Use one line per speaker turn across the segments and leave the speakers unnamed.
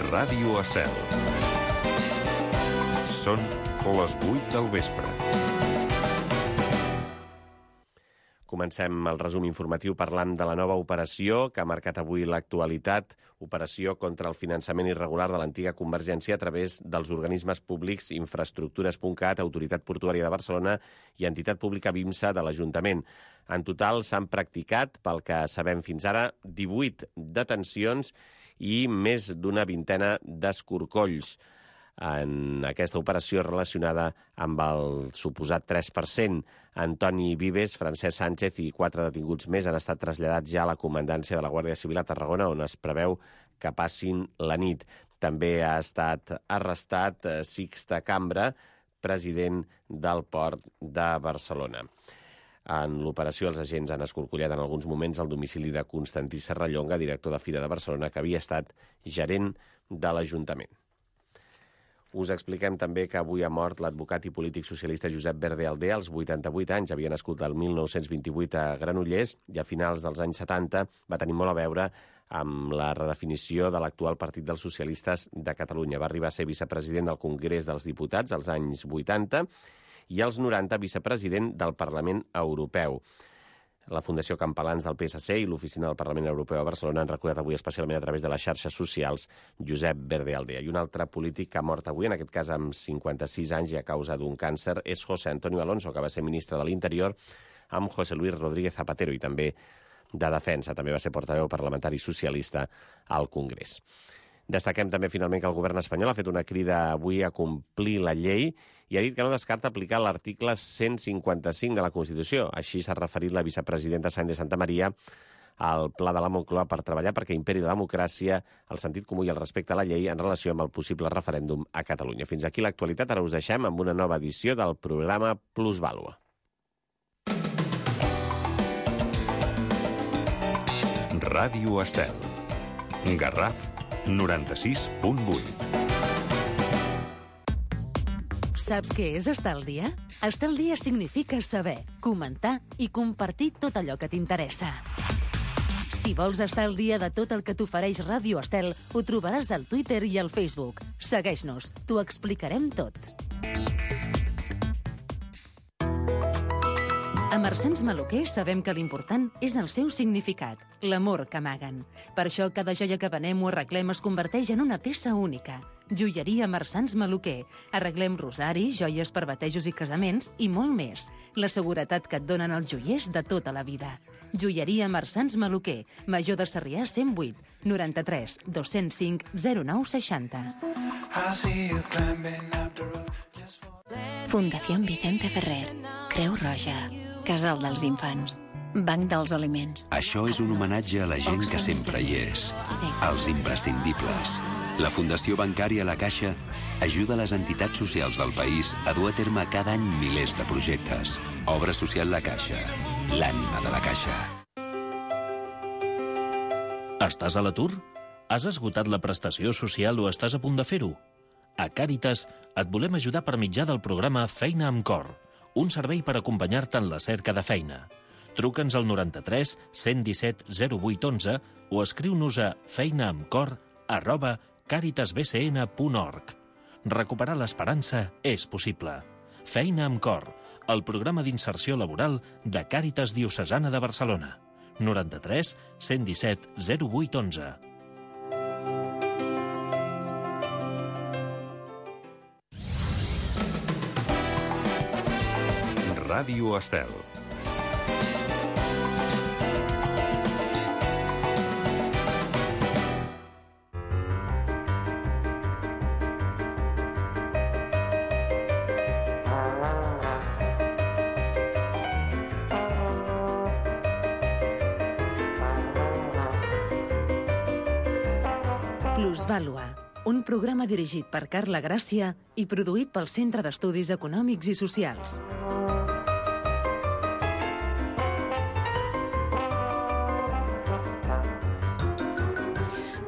Ràdio Estel. Són les 8 del vespre.
Comencem el resum informatiu parlant de la nova operació que ha marcat avui l'actualitat, operació contra el finançament irregular de l'antiga Convergència a través dels organismes públics Infraestructures.cat, Autoritat Portuària de Barcelona i Entitat Pública BIMSA de l'Ajuntament. En total s'han practicat, pel que sabem fins ara, 18 detencions i més d'una vintena d'escorcolls en aquesta operació relacionada amb el suposat 3%. Antoni Vives, Francesc Sánchez i 4 detinguts més han estat traslladats ja a la comandància de la Guàrdia Civil a Tarragona, on es preveu que passin la nit. També ha estat arrestat Sixte Cambra, president del Port de Barcelona. En l'operació, els agents han escorcollat en alguns moments el domicili de Constantí Serrallonga, director de Fira de Barcelona, que havia estat gerent de l'Ajuntament. Us expliquem també que avui ha mort l'advocat i polític socialista Josep Verde Aldea, als 88 anys. Havia nascut el 1928 a Granollers i a finals dels anys 70 va tenir molt a veure amb la redefinició de l'actual Partit dels Socialistes de Catalunya. Va arribar a ser vicepresident del Congrés dels Diputats als anys 80 i als 90 vicepresident del Parlament Europeu. La Fundació Campalans del PSC i l'Oficina del Parlament Europeu a Barcelona han recordat avui especialment a través de les xarxes socials Josep Verde Aldea. I un altre polític que ha mort avui, en aquest cas amb 56 anys i a causa d'un càncer, és José Antonio Alonso, que va ser ministre de l'Interior amb José Luis Rodríguez Zapatero i també de Defensa. També va ser portaveu parlamentari socialista al Congrés. Destaquem també finalment que el govern espanyol ha fet una crida avui a complir la llei i ha dit que no descarta aplicar l'article 155 de la Constitució. Així s'ha referit la vicepresidenta Sáenz de Santamaría al pla de la Moncloa per treballar perquè imperi la democràcia, el sentit comú i el respecte a la llei en relació amb el possible referèndum a Catalunya. Fins aquí l'actualitat. Ara us deixem amb una nova edició del programa Plusvàlua.
Ràdio Estel. Garraf 96.8.
Saps què és estar al dia? Estar al dia significa saber, comentar i compartir tot allò que t'interessa. Si vols estar al dia de tot el que t'ofereix Ràdio Estel, ho trobaràs al Twitter i al Facebook. Segueix-nos, t'ho explicarem tot. A Marsans Maluquer sabem que l'important és el seu significat, l'amor que amaguen. Per això cada joia que venem o arreglem es converteix en una peça única. Joieria Marsans Maluquer. Arreglem rosari, joies per batejos i casaments i molt més. La seguretat que et donen els joiers de tota la vida. Joieria Marsans Maluquer. Major de Sarrià 108 93 205 09 60.
Fundación Vicente Ferrer. Creu Roja. Casal dels Infants. Banc dels Aliments.
Això és un homenatge a la gent que sempre hi és.
Sí.
Els imprescindibles. La Fundació Bancària La Caixa ajuda les entitats socials del país a dur a terme cada any milers de projectes. Obra social La Caixa. L'ànima de la Caixa.
Estàs a l'atur? Has esgotat la prestació social o estàs a punt de fer-ho? A Càritas et volem ajudar per mitjà del programa Feina amb Cor, un servei per acompanyar-te en la cerca de feina. Truca'ns al 93 117 0811 o escriu-nos a feinaamcor@caritasbcn.org. Recuperar l'esperança és possible. Feina amb Cor, el programa d'inserció laboral de Càritas Diocesana de Barcelona. 93 117 0811.
Ràdio Estel.
Plusvàlua, un programa dirigit per Carla Gràcia i produït pel Centre d'Estudis Econòmics i Socials.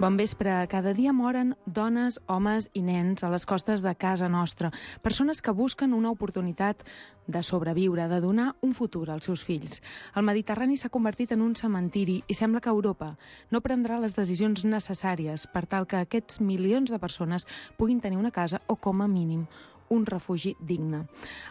Bon vespre. Cada dia moren dones, homes i nens a les costes de casa nostra. Persones que busquen una oportunitat de sobreviure, de donar un futur als seus fills. El Mediterrani s'ha convertit en un cementiri i sembla que Europa no prendrà les decisions necessàries per tal que aquests milions de persones puguin tenir una casa o, com a mínim, un refugi digne.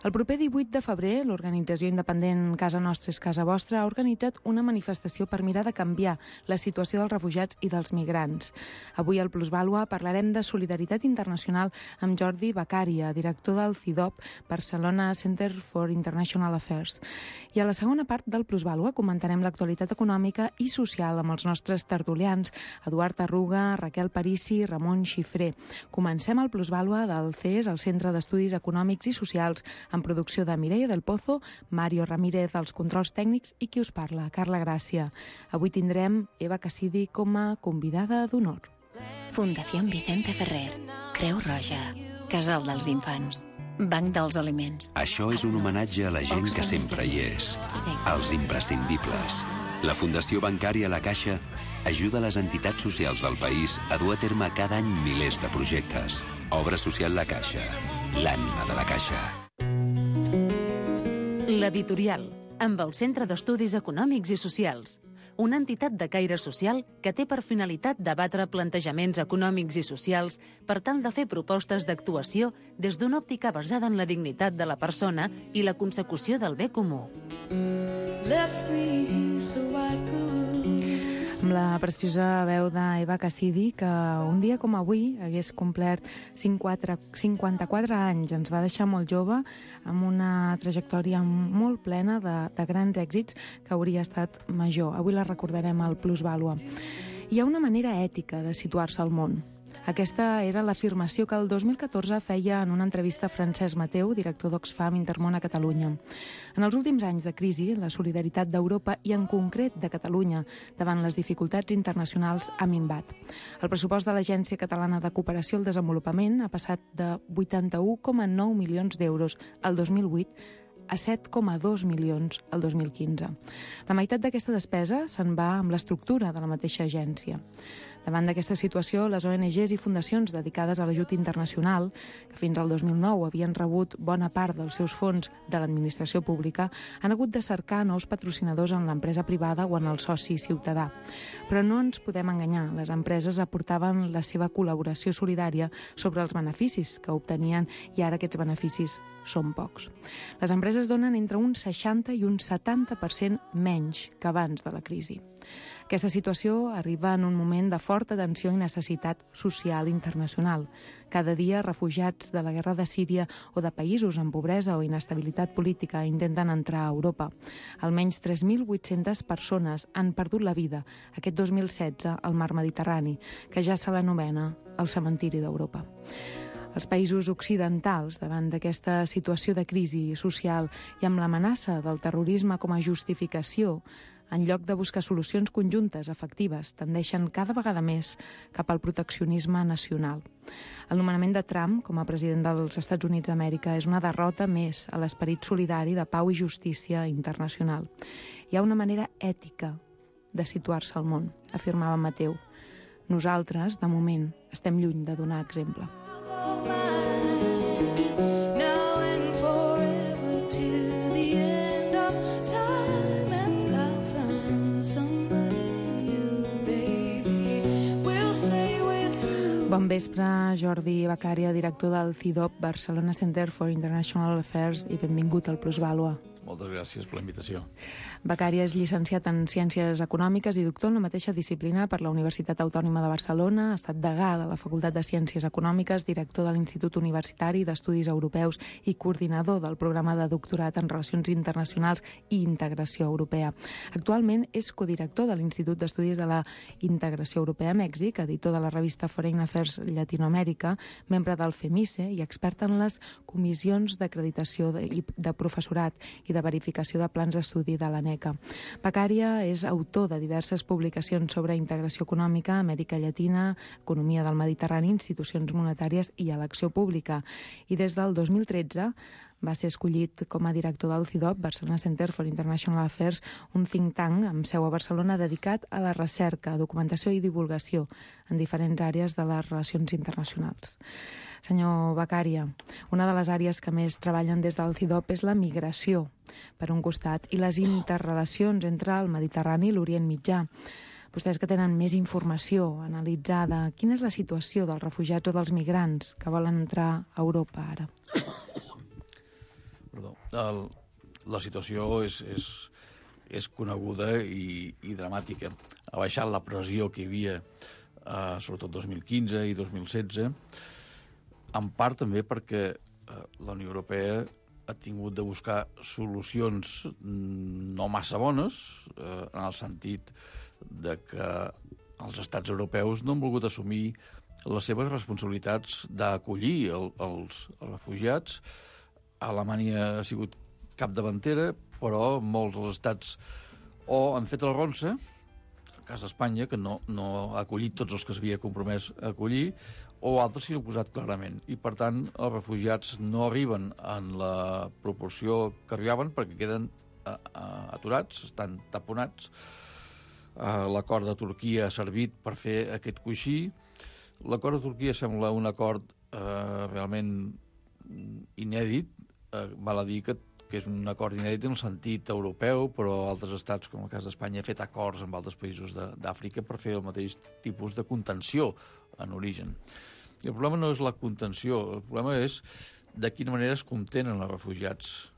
El proper 18 de febrer, l'organització independent Casa Nostra és Casa Vostra ha organitzat una manifestació per mirar de canviar la situació dels refugiats i dels migrants. Avui al Plusvàlua parlarem de solidaritat internacional amb Jordi Beccaria, director del CIDOB, Barcelona Center for International Affairs. I a la segona part del Plusvàlua comentarem l'actualitat econòmica i social amb els nostres tertulians, Eduard Arruga, Raquel Parisi i Ramon Xifré. Comencem el Plusvàlua del CES, el Centre d'Estudis Econòmics i Socials, en producció de Mireia del Pozo, Mario Ramírez als controls tècnics i qui us parla, Carla Gràcia. Avui tindrem Eva Cassidi com a convidada d'honor.
Fundació Vicente Ferrer, Creu Roja, Casal dels Infants, Banc dels Aliments.
Això és un homenatge a la gent que sempre hi és, als imprescindibles. La Fundació Bancària La Caixa ajuda les entitats socials del país a dur a terme cada any milers de projectes. Obra social La Caixa, l'ànima de la Caixa.
L'Editorial, amb el Centre d'Estudis Econòmics i Socials, una entitat de caire social que té per finalitat debatre plantejaments econòmics i socials per tal de fer propostes d'actuació des d'una òptica basada en la dignitat de la persona i la consecució del bé comú.
Amb la preciosa veu d'Eva Cassidi, que un dia com avui hagués complert 54 anys. Ens va deixar molt jove, amb una trajectòria molt plena de grans èxits que hauria estat major. Avui la recordarem al Plusvàlua. Hi ha una manera ètica de situar-se al món. Aquesta era l'afirmació que el 2014 feia en una entrevista a Francesc Mateu, director d'Oxfam Intermón a Catalunya. En els últims anys de crisi, la solidaritat d'Europa i en concret de Catalunya davant les dificultats internacionals ha minvat. El pressupost de l'Agència Catalana de Cooperació al Desenvolupament ha passat de 81,9 milions d'euros al 2008 a 7,2 milions el 2015. La meitat d'aquesta despesa se'n va amb l'estructura de la mateixa agència. Davant d'aquesta situació, les ONGs i fundacions dedicades a l'ajut internacional, que fins al 2009 havien rebut bona part dels seus fons de l'administració pública, han hagut de cercar nous patrocinadors en l'empresa privada o en el soci ciutadà. Però no ens podem enganyar, les empreses aportaven la seva col·laboració solidària sobre els beneficis que obtenien i ara aquests beneficis són pocs. Les empreses donen entre un 60 i un 70% menys que abans de la crisi. Aquesta situació arriba en un moment de forta tensió i necessitat social internacional. Cada dia, refugiats de la guerra de Síria o de països amb pobresa o inestabilitat política intenten entrar a Europa. Almenys 3.800 persones han perdut la vida aquest 2016 al mar Mediterrani, que ja se l'anomena el cementiri d'Europa. Els països occidentals, davant d'aquesta situació de crisi social i amb l'amenaça del terrorisme com a justificació, en lloc de buscar solucions conjuntes efectives, tendeixen cada vegada més cap al proteccionisme nacional. El nomenament de Trump com a president dels Estats Units d'Amèrica és una derrota més a l'esperit solidari de pau i justícia internacional. Hi ha una manera ètica de situar-se al món, afirmava Mateu. Nosaltres, de moment, estem lluny de donar exemple. Bon vespre, Jordi Beccaria, director del CIDOB, Barcelona Center for International Affairs, i benvingut al Plusvàlua.
Moltes gràcies per la invitació.
Beccaria és llicenciat en Ciències Econòmiques i doctor en la mateixa disciplina per la Universitat Autònoma de Barcelona, ha estat degà de la Facultat de Ciències Econòmiques, director de l'Institut Universitari d'Estudis Europeus i coordinador del programa de doctorat en Relacions Internacionals i Integració Europea. Actualment és codirector de l'Institut d'Estudis de la Integració Europea a Mèxic, editor de la revista Foreign Affairs Llatinoamèrica, membre del FEMICE i expert en les comissions d'acreditació de professorat i de verificació de plans d'estudi de l'ANECA. Beccaria és autor de diverses publicacions sobre integració econòmica, Amèrica Llatina, economia del Mediterrani, institucions monetàries i elecció pública. I des del 2013 va ser escollit com a director del CIDOB, Barcelona Center for International Affairs, un think tank amb seu a Barcelona dedicat a la recerca, documentació i divulgació en diferents àrees de les relacions internacionals. Senyor Beccaria, una de les àrees que més treballen des del CIDOB és la migració, per un costat, i les interrelacions entre el Mediterrani i l'Orient Mitjà. Vostès que tenen més informació analitzada, quina és la situació dels refugiats o dels migrants que volen entrar a Europa ara?
Perdó. La situació és coneguda i dramàtica. Ha baixat la pressió que hi havia, sobretot 2015 i 2016, en part també perquè la Unió Europea ha tingut de buscar solucions no massa bones, en el sentit de que els estats europeus no han volgut assumir les seves responsabilitats d'acollir els refugiats. Alemanya ha sigut capdavantera, però molts dels estats o han fet la ronça, el cas d'Espanya, que no ha acollit tots els que s'havia compromès a acollir, o altres s'hi han oposat clarament. I, per tant, els refugiats no arriben en la proporció que arribaven perquè queden aturats, estan taponats. L'acord de Turquia ha servit per fer aquest coixí. L'acord de Turquia sembla un acord realment inèdit. Val a dir que és un acord inèdit en el sentit europeu, però altres estats, com el cas d'Espanya, han fet acords amb altres països d'Àfrica per fer el mateix tipus de contenció en origen. I el problema no és la contenció, el problema és de quina manera es contenen els refugiats.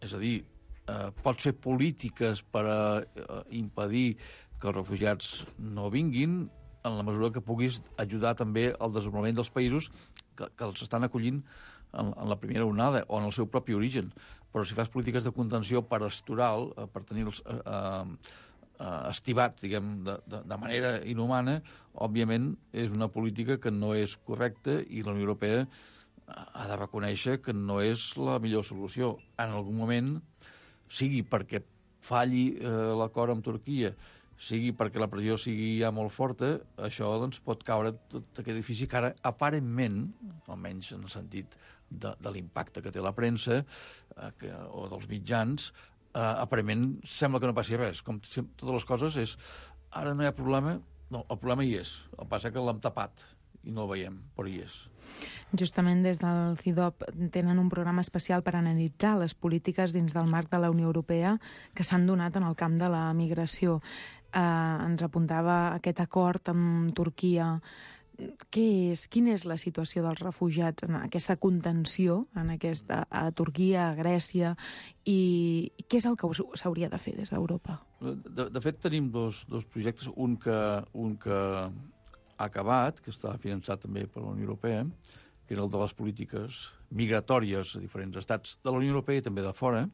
És a dir, pots fer polítiques per impedir que els refugiats no vinguin en la mesura que puguis ajudar també al desenvolupament dels països que els estan acollint en la primera onada o en el seu propi origen. Però si fas polítiques de contenció pastoral, per tenir-los estibats, diguem, de manera inhumana, òbviament és una política que no és correcta i la Unió Europea ha de reconèixer que no és la millor solució. En algun moment, sigui perquè falli l'acord amb Turquia, sigui perquè la pressió sigui ja molt forta, això doncs, pot caure tot aquest edifici que ara, aparentment, almenys en el sentit de l'impacte que té la premsa o dels mitjans, aparentment sembla que no passi res. Com totes les coses és, ara no hi ha problema, no, el problema hi és. El que passa que l'hem tapat i no el veiem, però hi és.
Justament des del CIDOB tenen un programa especial per analitzar les polítiques dins del marc de la Unió Europea que s'han donat en el camp de la migració. Ens apuntava aquest acord amb Turquia. Quina és la situació dels refugiats en aquesta contenció a Turquia, a Grècia, i què és el que s'hauria de fer des d'Europa?
De fet, tenim dos projectes, un que ha acabat, que està finançat també per la Unió Europea, que és el de les polítiques migratòries a diferents estats de la Unió Europea i també de fora,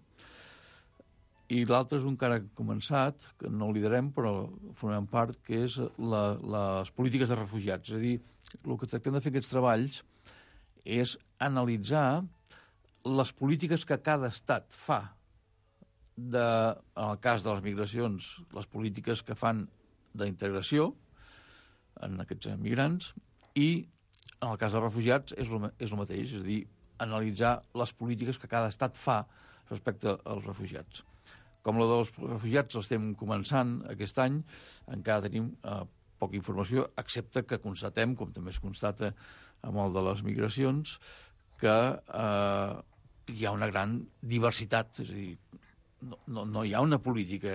i l'altre és un que ara ha començat, que no el liderem, però formem part, que és les polítiques de refugiats. És a dir, el que tractem de fer aquests treballs és analitzar les polítiques que cada estat fa. En el cas de les migracions, les polítiques que fan d'integració en aquests migrants, i en el cas dels refugiats és el mateix, és a dir, analitzar les polítiques que cada estat fa respecte als refugiats. Com la dels refugiats l'estem començant aquest any, encara tenim poca informació, excepte que constatem, com també es constata amb el de les migracions, que hi ha una gran diversitat, és a dir, no hi ha una política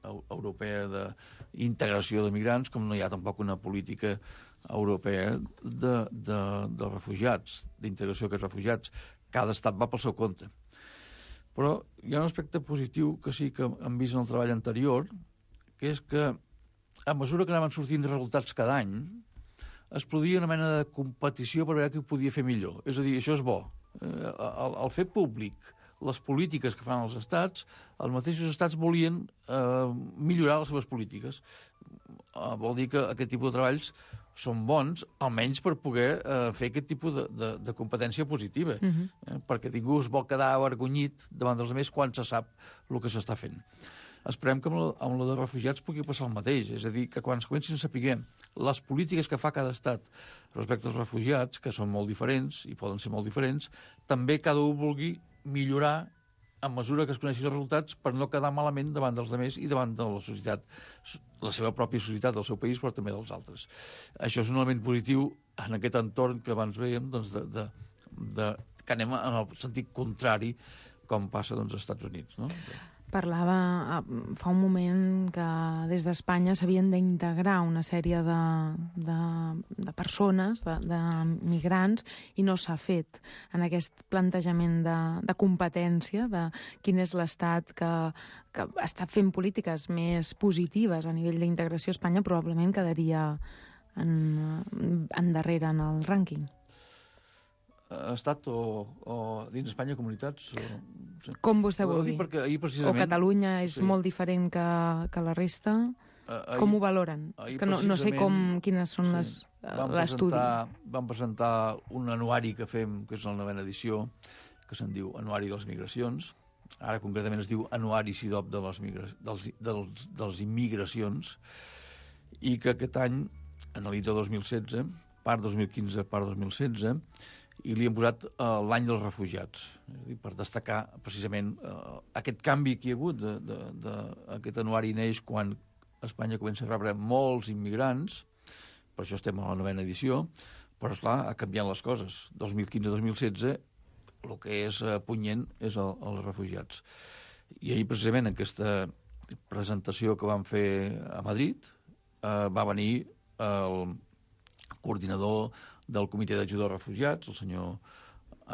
europea d'integració de migrants, com no hi ha tampoc una política europea de refugiats, d'integració d'aquests refugiats. Cada estat va pel seu compte. Però hi ha un aspecte positiu que sí que hem vist en el treball anterior, que és que a mesura que anaven sortint resultats cada any, es produïa una mena de competició per veure qui ho podia fer millor. És a dir, això és bo. Al fer públic les polítiques que fan els estats, els mateixos estats volien millorar les seves polítiques. Vol dir que aquest tipus de treballs són bons, almenys per poder fer aquest tipus de competència positiva, perquè ningú es vol quedar avergonyit davant dels altres quan se sap el que s'està fent. esperem que amb la de refugiats pugui passar el mateix. És a dir, que quan es comencin a saber les polítiques que fa cada estat respecte als refugiats, que són molt diferents i poden ser molt diferents, també cada un vulgui millorar a mesura que es coneixin els resultats per no quedar malament davant dels altres i davant de la societat, la seva pròpia societat del seu país, però també dels altres. Això és un element positiu en aquest entorn que abans veiem, doncs, que anem en el sentit contrari com passa als Estats Units, no?
Parlava fa un moment que des d'Espanya s'havien d'integrar una sèrie de persones, de migrants, i no s'ha fet en aquest plantejament de competència, de quin és l'estat que està fent polítiques més positives a nivell d'integració a Espanya, probablement quedaria endarrere en el rànquing.
Estat o dins Espanya comunitats?
Com vostè vol dir? O Catalunya és molt diferent que la resta? Com ho valoren? És que no sé quines són l'estudi.
Vam presentar un anuari que fem, que és la 9ª edició, que se'n diu Anuari de les Migracions. Ara concretament es diu Anuari SIDOP dels Immigracions, i que aquest any analitza 2016, part 2015, part 2016, i li hem posat l'any dels refugiats, per destacar precisament aquest canvi que hi ha hagut. Aquest anuari neix quan Espanya comença a rebre molts immigrants, per això estem a la 9ª edició, però, esclar, ha canviat les coses. 2015-2016, el que és punyent és els refugiats. I ahir, precisament, en aquesta presentació que vam fer a Madrid, va venir el coordinador del Comitè d'Ajuda als Refugiats, el senyor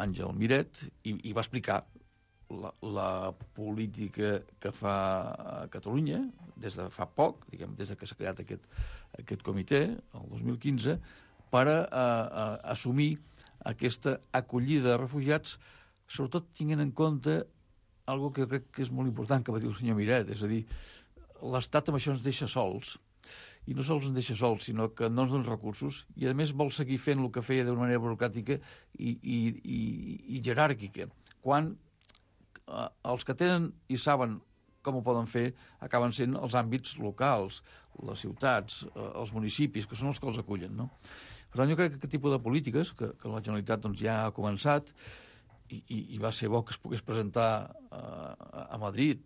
Àngel Miret, i va explicar la política que fa a Catalunya des de fa poc, diguem, des que s'ha creat aquest comitè, el 2015, per assumir aquesta acollida de refugiats, sobretot tinguent en compte algo que jo crec que és molt important, que va dir el senyor Miret, és a dir, l'Estat amb això ens deixa sols, i no sols ens deixa sols, sinó que no ens dona recursos, i a més vol seguir fent el que feia d'una manera burocràtica i jeràrquica, quan els que tenen i saben com ho poden fer acaben sent els àmbits locals, les ciutats, els municipis, que són els que els acullen, no? Per tant, jo crec que aquest tipus de polítiques, que la Generalitat doncs, ja ha començat, i va ser bo que es pogués presentar a Madrid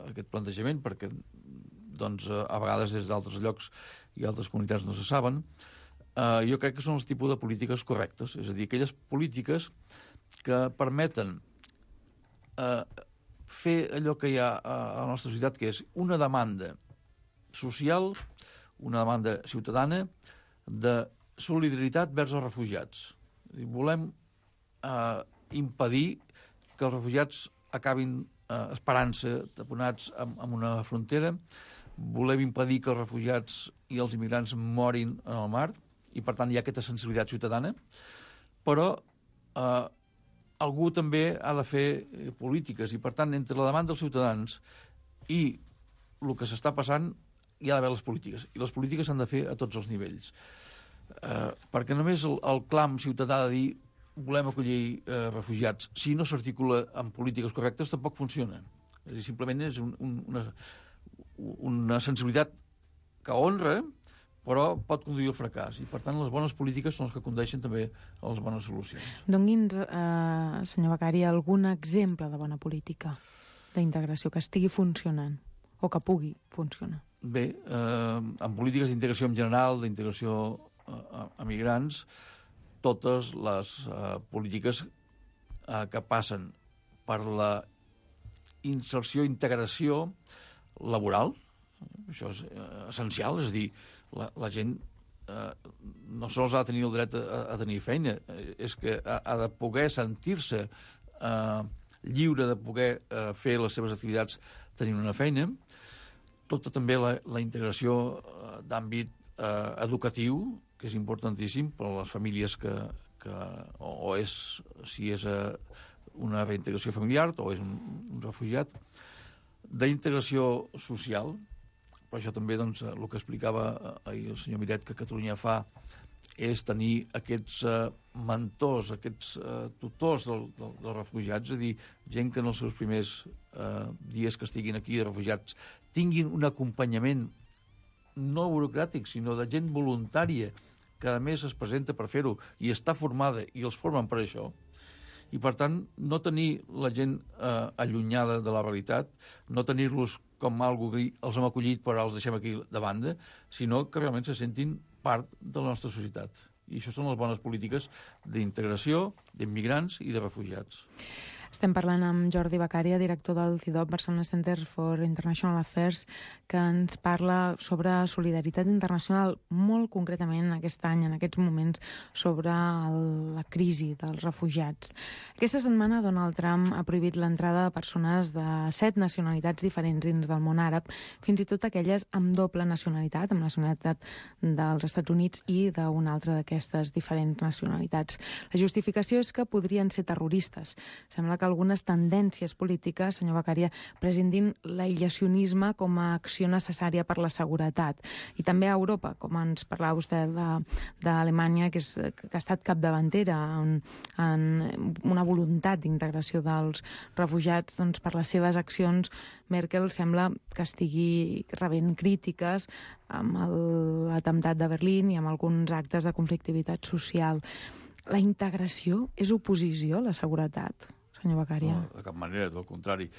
aquest plantejament, perquè doncs, a vegades des d'altres llocs i altres comunitats no se saben, jo crec que són els tipus de polítiques correctes, és a dir, aquelles polítiques que permeten fer allò que hi ha a la nostra societat, que és una demanda social, una demanda ciutadana de solidaritat vers els refugiats. Volem impedir que els refugiats acabin esperant-se taponats en una frontera, volem impedir que els refugiats i els immigrants morin en el mar, i per tant hi ha aquesta sensibilitat ciutadana, però algú també ha de fer polítiques, i per tant entre la demanda dels ciutadans i el que s'està passant hi ha d'haver les polítiques, i les polítiques s'han de fer a tots els nivells, perquè només el clam ciutadà de dir volem acollir refugiats, si no s'articula amb polítiques correctes, tampoc funciona. És a dir, simplement és una sensibilitat que honra, però pot conduir al fracàs. I, per tant, les bones polítiques són les que condueixen també a les bones solucions.
Doni'ns, senyor Becari, algun exemple de bona política d'integració que estigui funcionant o que pugui funcionar.
Bé, en polítiques d'integració en general, d'integració a migrants, totes les polítiques que passen per la inserció i integració laboral, això és essencial, és a dir, la gent no sols ha de tenir el dret a tenir feina, és que ha de poder sentir-se lliure de poder fer les seves activitats tenint una feina. Tota també la integració d'àmbit educatiu, que és importantíssim per a les famílies si és una reintegració familiar o és un refugiat, d'integració social. Per això també doncs, el que explicava ahir el senyor Miret, que Catalunya fa és tenir aquests mentors, aquests tutors dels refugiats, és a dir, gent que en els seus primers dies que estiguin aquí de refugiats tinguin un acompanyament no burocràtic, sinó de gent voluntària que a més es presenta per fer-ho i està formada i els formen per això. I, per tant, no tenir la gent allunyada de la realitat, no tenir-los com algú que els hem acollit però els deixem aquí de banda, sinó que realment se sentin part de la nostra societat. I això són les bones polítiques d'integració, d'immigrants i de refugiats.
Estem parlant amb Jordi Beccaria, director del CIDOB, Barcelona Center for International Affairs, que ens parla sobre solidaritat internacional, molt concretament aquest any, en aquests moments, sobre la crisi dels refugiats. Aquesta setmana Donald Trump ha prohibit l'entrada de persones de 7 nacionalitats diferents dins del món àrab, fins i tot aquelles amb doble nacionalitat, amb nacionalitat dels Estats Units i d'una altra d'aquestes diferents nacionalitats. La justificació és que podrien ser terroristes. Sembla que algunes tendències polítiques, senyor Beccaria, prescindin l'aïllacionisme com a acció necessària per la seguretat. I també a Europa, com ens parlava vostè d'Alemanya, que ha estat capdavantera en una voluntat d'integració dels refugiats, doncs per les seves accions, Merkel sembla que estigui rebent crítiques amb l'atemptat de Berlín i amb alguns actes de conflictivitat social. La integració és oposició a la seguretat? Senyor Beccaria.
No, de cap manera, del contrari.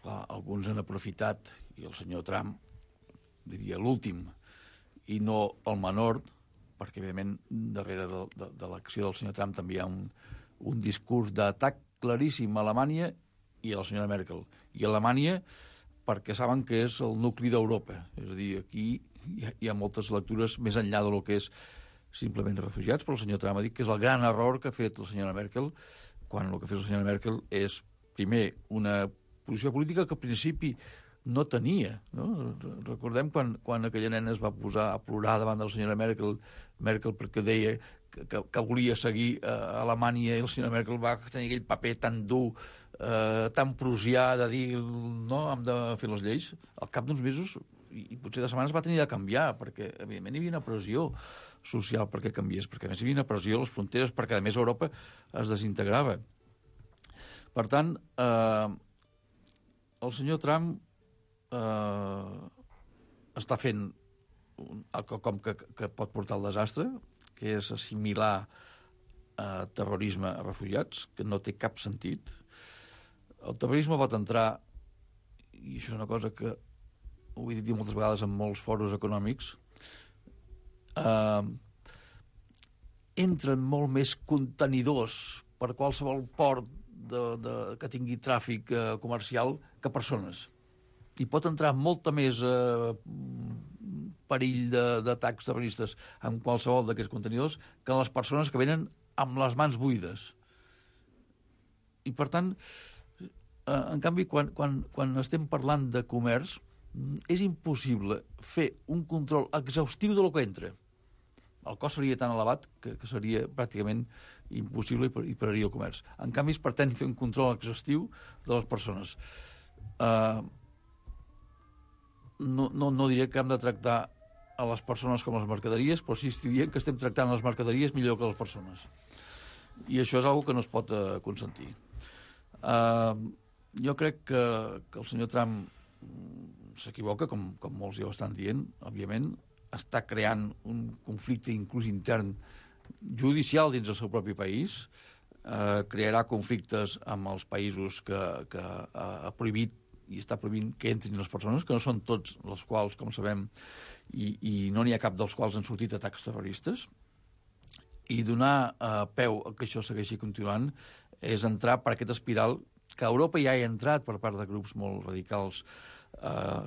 Clar, alguns han aprofitat, i el senyor Trump, diria l'últim, i no el menor, perquè, evidentment, darrere de l'acció del senyor Trump també hi ha un discurs d'atac claríssim a Alemanya i a la senyora Merkel. I a Alemanya perquè saben que és el nucli d'Europa. És a dir, aquí hi ha moltes lectures més enllà del que és simplement refugiats, però el senyor Trump ha dit que és el gran error que ha fet la senyora Merkel, quan el que ha fet la senyora Merkel és, primer, una posició política que al principi no tenia. No? Recordem quan aquella nena es va posar a plorar davant de la senyora Merkel perquè deia que volia seguir a Alemanya, i la senyora Merkel va tenir aquell paper tan dur, tan prusià, de dir, no, hem de fer les lleis. Al cap d'uns mesos, i potser de setmanes, va tenir de canviar, perquè, evidentment, hi havia una pressió social perquè canviés, perquè a més hi havia una pressió a les fronteres, perquè a més Europa es desintegrava. Per tant, el senyor Trump està fent quelcom que pot portar al desastre, que és assimilar terrorisme a refugiats, que no té cap sentit. El terrorisme pot entrar, i això és una cosa que ho he dit moltes vegades en molts foros econòmics, entren molt més contenidors per qualsevol port que tingui tràfic comercial que persones. I pot entrar molta més perill d'atacs terroristes en qualsevol d'aquests contenidors que les persones que venen amb les mans buides. I, per tant, en canvi, quan estem parlant de comerç, és impossible fer un control exhaustiu de lo que entra. El cost seria tan elevat que seria pràcticament impossible i pararia el comerç. En canvi, es pretén fer un control exhaustiu de les persones. No diré que hem de tractar a les persones com les mercaderies, però sí que diem que estem tractant les mercaderies millor que les persones. I això és una cosa que no es pot consentir. Jo crec que el senyor Trump s'equivoca, com molts ja ho estan dient, òbviament, està creant un conflicte inclús intern judicial dins del seu propi país, crearà conflictes amb els països que ha prohibit i està prohibint que entrin les persones, que no són tots els quals, com sabem, i no n'hi ha cap dels quals han sortit atacs terroristes, i donar peu a que això segueixi continuant és entrar per aquest espiral que a Europa ja hi ha entrat per part de grups molt radicals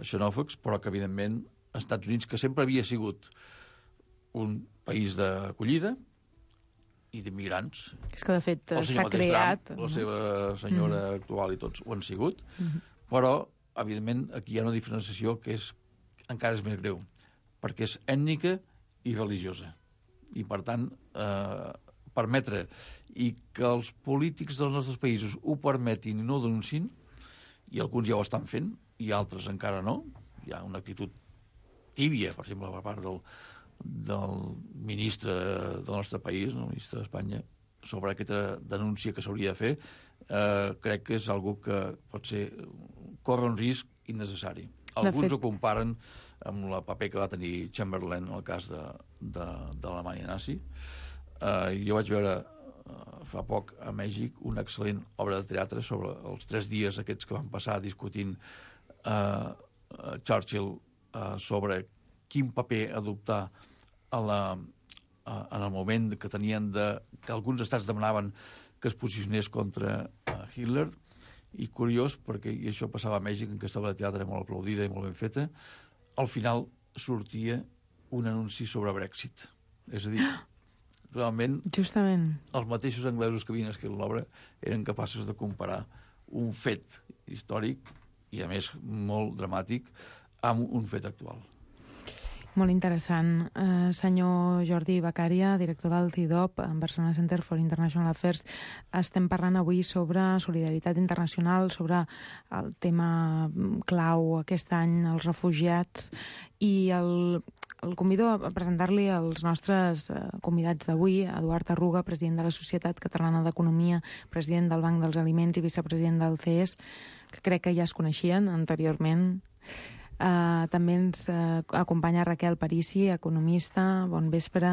xenòfobs, però que, evidentment, als Estats Units, que sempre havia sigut un país d'acollida i d'immigrants.
És que, de fet, està creat.
Trump, la seva senyora actual i tots ho han sigut, però, evidentment, aquí hi ha una diferenciació que encara és més greu, perquè és ètnica i religiosa. I, per tant, permetre i que els polítics dels nostres països ho permetin i no ho denunciïn, i alguns ja ho estan fent, i altres encara no. Hi ha una actitud tíbia, per exemple, per part del ministre del nostre país, el ministre d'Espanya, sobre aquesta denúncia que s'hauria de fer, crec que és algo que pot ser córrer un risc innecessari. Alguns ho comparen amb el paper que va tenir Chamberlain en el cas de l'Alemanya nazi. Jo vaig veure fa poc a Mèxic una excel·lent obra de teatre sobre els 3 dies aquests que van passar discutint Churchill sobre quin paper adoptar en el moment que tenien que alguns estats demanaven que es posicionés contra Hitler, i curiós, perquè i això passava a Mèxic, en aquesta obra de teatre molt aplaudida i molt ben feta, al final sortia un anunci sobre Brexit. És a dir, realment
justament
els mateixos anglesos que havien escrit l'obra eren capaços de comparar un fet històric i, a més, molt dramàtic amb un fet actual.
Molt interessant. Senyor Jordi Beccaria, director del CIDOB, Barcelona Center for International Affairs, estem parlant avui sobre solidaritat internacional, sobre el tema clau aquest any, els refugiats, i el convido a presentar-li als nostres convidats d'avui, Eduard Arruga, president de la Societat Catalana d'Economia, president del Banc dels Aliments i vicepresident del CES, que crec que ja es coneixien anteriorment. També ens acompanya Raquel Parisi, economista, bon vespre,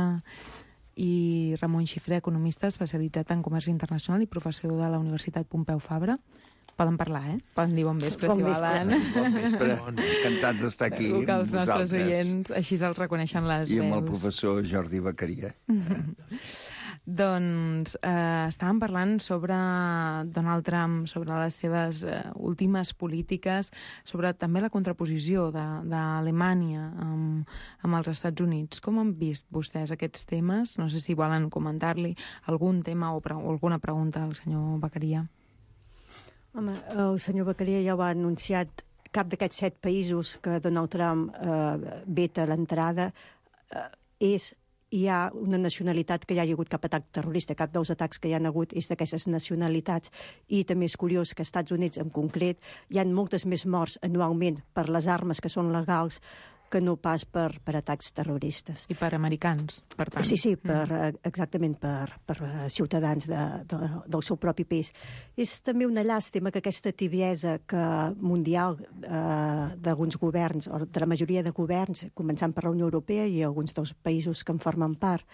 i Ramon Xifré, economista especialitzat en comerç internacional i professor de la Universitat Pompeu Fabra. Poden parlar, Poden dir bon vespre, si volen.
Bon vespre, encantats d'estar aquí
amb que els nostres oients així els reconeixen les veus.
I amb el professor Jordi Beccaria.
Doncs estàvem parlant sobre Donald Trump, sobre les seves últimes polítiques, sobre també la contraposició d'Alemanya amb els Estats Units. Com han vist vostès aquests temes? No sé si volen comentar-li algun tema o alguna pregunta al senyor Beccaria.
Home, el senyor Beccaria ja ho ha anunciat. Cap d'aquests 7 països que Donald Trump veta l'entrada hi ha una nacionalitat que hi ha hagut cap atac terrorista, cap dels atacs que hi ha hagut és d'aquestes nacionalitats. I també és curiós que als Estats Units en concret hi ha moltes més morts anualment per les armes que són legals que no pas per atacs terroristes.
I per americans, per tant.
Sí, exactament, per ciutadans del seu propi país. És també una llàstima que aquesta tibiesa mundial d'alguns governs, o de la majoria de governs, començant per la Unió Europea i alguns dels països que en formen part,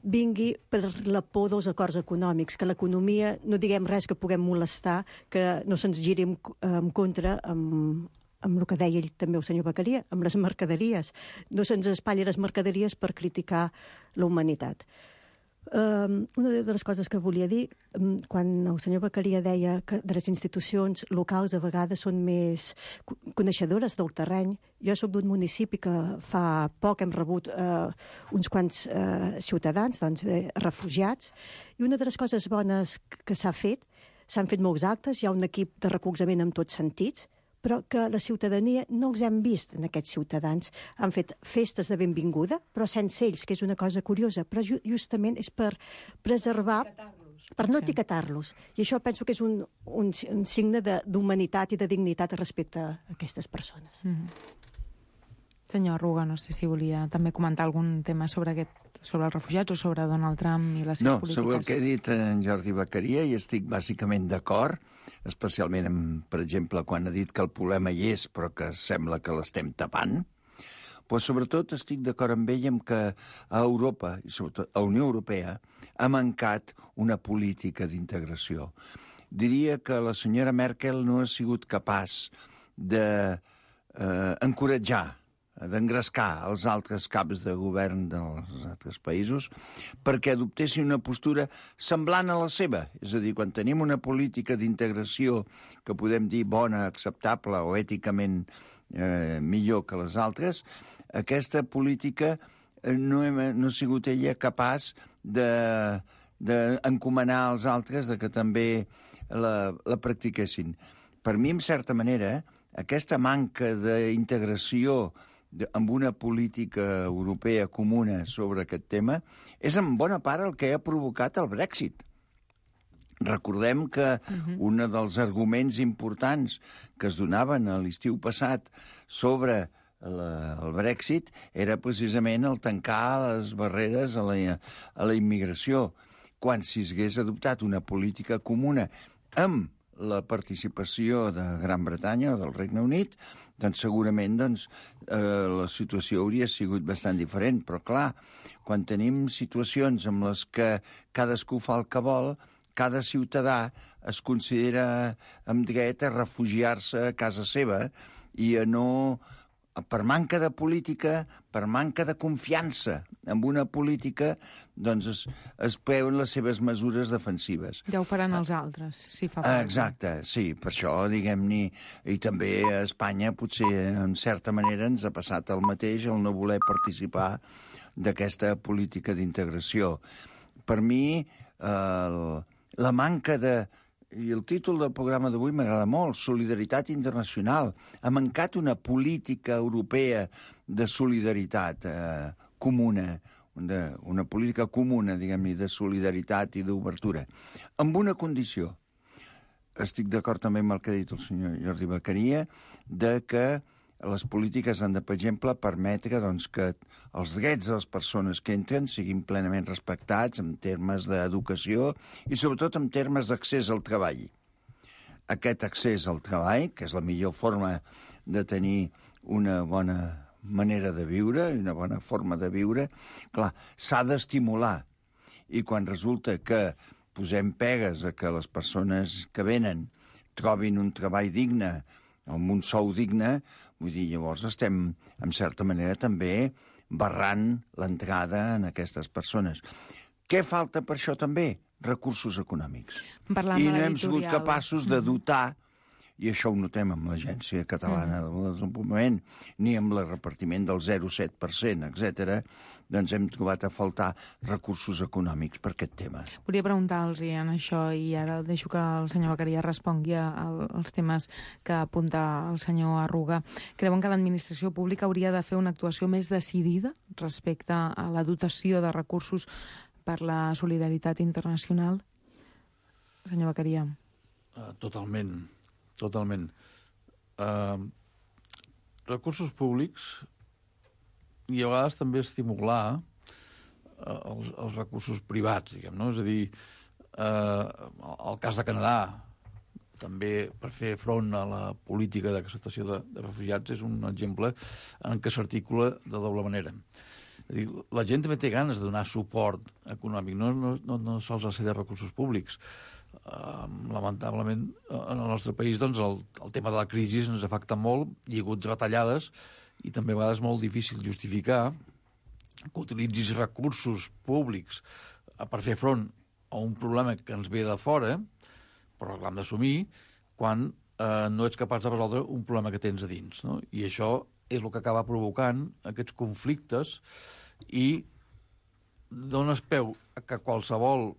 vingui per la por dels acords econòmics, que l'economia, no diguem res que puguem molestar, que no se'ns giri en contra amb el que deia ell també el senyor Beccaria, amb les mercaderies. No se'ns espatlli les mercaderies per criticar la humanitat. Una de les coses que volia dir, quan el senyor Beccaria deia que de les institucions locals a vegades són més coneixedores del terreny, jo soc d'un municipi que fa poc hem rebut uns quants ciutadans, refugiats, i una de les coses bones que s'han fet molts actes, hi ha un equip de recolzament en tots sentits, però que la ciutadania no els hem vist en aquests ciutadans. Han fet festes de benvinguda, però sense ells, que és una cosa curiosa, però justament és per preservar, per no etiquetar-los. I això penso que és un signe d'humanitat i de dignitat respecte a aquestes persones.
Senyor Arruga, no sé si volia també comentar algun tema sobre els refugiats o sobre Donald Trump i les seves polítiques.
No, sobre el que ha dit en Jordi Beccaria i estic bàsicament d'acord, especialment, per exemple, quan ha dit que el problema hi és però que sembla que l'estem tapant, però sobretot estic d'acord amb ell en que a Europa, i sobretot a la Unió Europea, ha mancat una política d'integració. Diria que la senyora Merkel no ha sigut capaç d'encoratjar, d'engrescar els altres caps de govern dels altres països perquè adoptessin una postura semblant a la seva. És a dir, quan tenim una política d'integració que podem dir bona, acceptable o èticament millor que les altres, aquesta política no ha sigut ella capaç d'encomanar als altres que també la practiquessin. Per mi, en certa manera, aquesta manca d'integració amb una política europea comuna sobre aquest tema és en bona part el que ha provocat el Brexit. Recordem que un dels arguments importants que es donaven a l'estiu passat sobre el Brexit era precisament el tancar les barreres a la immigració. Quan si s'hagués adoptat una política comuna amb la participació de Gran Bretanya o del Regne Unit, doncs segurament la situació hauria sigut bastant diferent. Però clar, quan tenim situacions en les que cadascú fa el que vol, cada ciutadà es considera amb dret a refugiar-se a casa seva i a no... Per manca de política, per manca de confiança en una política, doncs es preuen les seves mesures defensives.
Ja ho faran els altres, si fa falta.
Exacte, sí, per això, diguem-ne, i també a Espanya potser, en certa manera, ens ha passat el mateix, el no voler participar d'aquesta política d'integració. Per mi, la manca de... I el títol del programa d'avui m'agrada molt, Solidaritat Internacional. Ha mancat una política europea de solidaritat comuna, una política comuna, diguem-ne, de solidaritat i d'obertura, amb una condició. Estic d'acord també amb el que ha dit el senyor Jordi Beccaria, de que les polítiques han de, per exemple, permetre que els drets de les persones que entren siguin plenament respectats en termes d'educació i sobretot en termes d'accés al treball. Aquest accés al treball, que és la millor forma de tenir una bona manera de viure i una bona forma de viure, clar, s'ha d'estimular. I quan resulta que posem pegues a que les persones que venen trobin un treball digne, amb un sou digne, vull dir, llavors estem, en certa manera, també barrant l'entrada en aquestes persones. Què falta per això també? Recursos econòmics. I no hem sigut capaços de dotar, i això ho notem amb l'Agència Catalana del Desenvolupament, ni amb el repartiment del 0,7%, etc., doncs hem trobat a faltar recursos econòmics per aquest tema.
Volia preguntar-los en això, i ara deixo que el senyor Beccaria respongui als temes que apunta el senyor Arruga. Creuen que l'administració pública hauria de fer una actuació més decidida respecte a la dotació de recursos per la solidaritat internacional? Senyor Beccaria.
Totalment. Recursos públics i a vegades també estimular els recursos privats, diguem, no? És a dir, el cas de Canadà, també per fer front a la política d'acceptació de refugiats, és un exemple en què s'articula de doble manera. És a dir, la gent també té ganes de donar suport econòmic, no sols a ser de recursos públics. Lamentablement, en el nostre país, doncs, el tema de la crisi ens afecta molt, hi ha hagut retallades i també a vegades és molt difícil justificar que utilitzis recursos públics per fer front a un problema que ens ve de fora, però l'hem d'assumir, quan no ets capaç de resoldre un problema que tens a dins, no? I això és el que acaba provocant aquests conflictes i dones peu a que qualsevol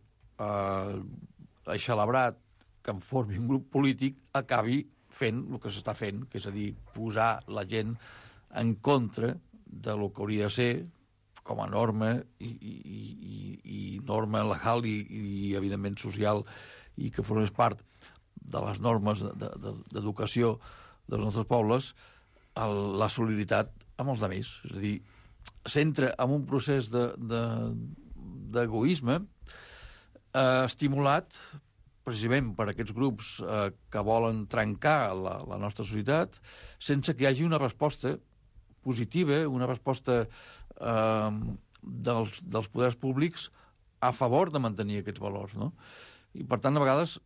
eixelebrat que en formi un grup polític acabi fent el que s'està fent, que és a dir, posar la gent en contra de lo que hauria de ser com a norma i norma legal i evidentment social, i que formés part de les normes d'educació dels nostres pobles, la solidaritat amb els altres. És a dir, s'entra en un procés d'egoisme estimulat precisament per aquests grups que volen trencar la nostra societat sense que hi hagi una resposta positiva, una resposta dels poders públics a favor de mantenir aquests valors, no? I, per tant, a vegades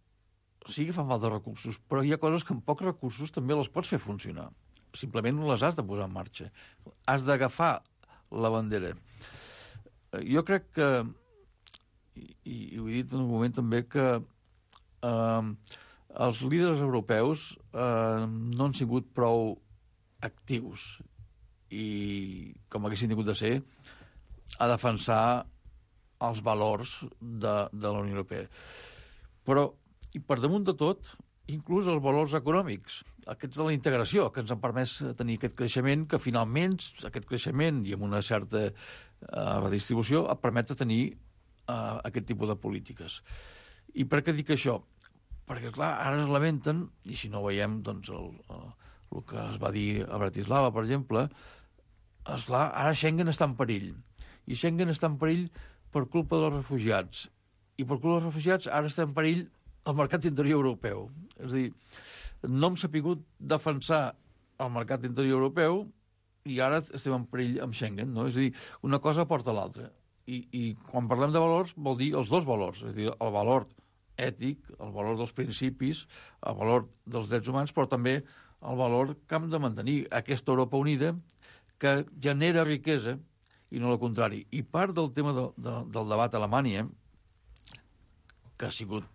sí que fan falta recursos, però hi ha coses que amb pocs recursos també les pots fer funcionar. Simplement les has de posar en marxa. Has d'agafar la bandera. Jo crec que, i ho he dit en un moment també, que els líders europeus no han sigut prou actius i, com haguessin tingut de ser, a defensar els valors de la Unió Europea. Però, i per damunt de tot, inclús els valors econòmics, aquests de la integració, que ens han permès tenir aquest creixement, que finalment aquest creixement i amb una certa redistribució et permet tenir aquest tipus de polítiques. I per què dic això? Perquè, clar, ara es lamenten, i si no veiem doncs, el que es va dir a Bratislava, per exemple, esclar, ara Schengen està en perill. I Schengen està en perill per culpa dels refugiats. I per culpa dels refugiats ara està en perill el mercat interior europeu. És a dir, no hem sapigut defensar el mercat interior europeu i ara estem en perill amb Schengen, no? És a dir, una cosa porta a l'altra. I quan parlem de valors vol dir els dos valors, és a dir, el valor ètic, el valor dels principis, el valor dels drets humans, però també el valor que hem de mantenir aquesta Europa unida que genera riquesa i no el contrari. I part del tema del debat a Alemanya, que ha sigut,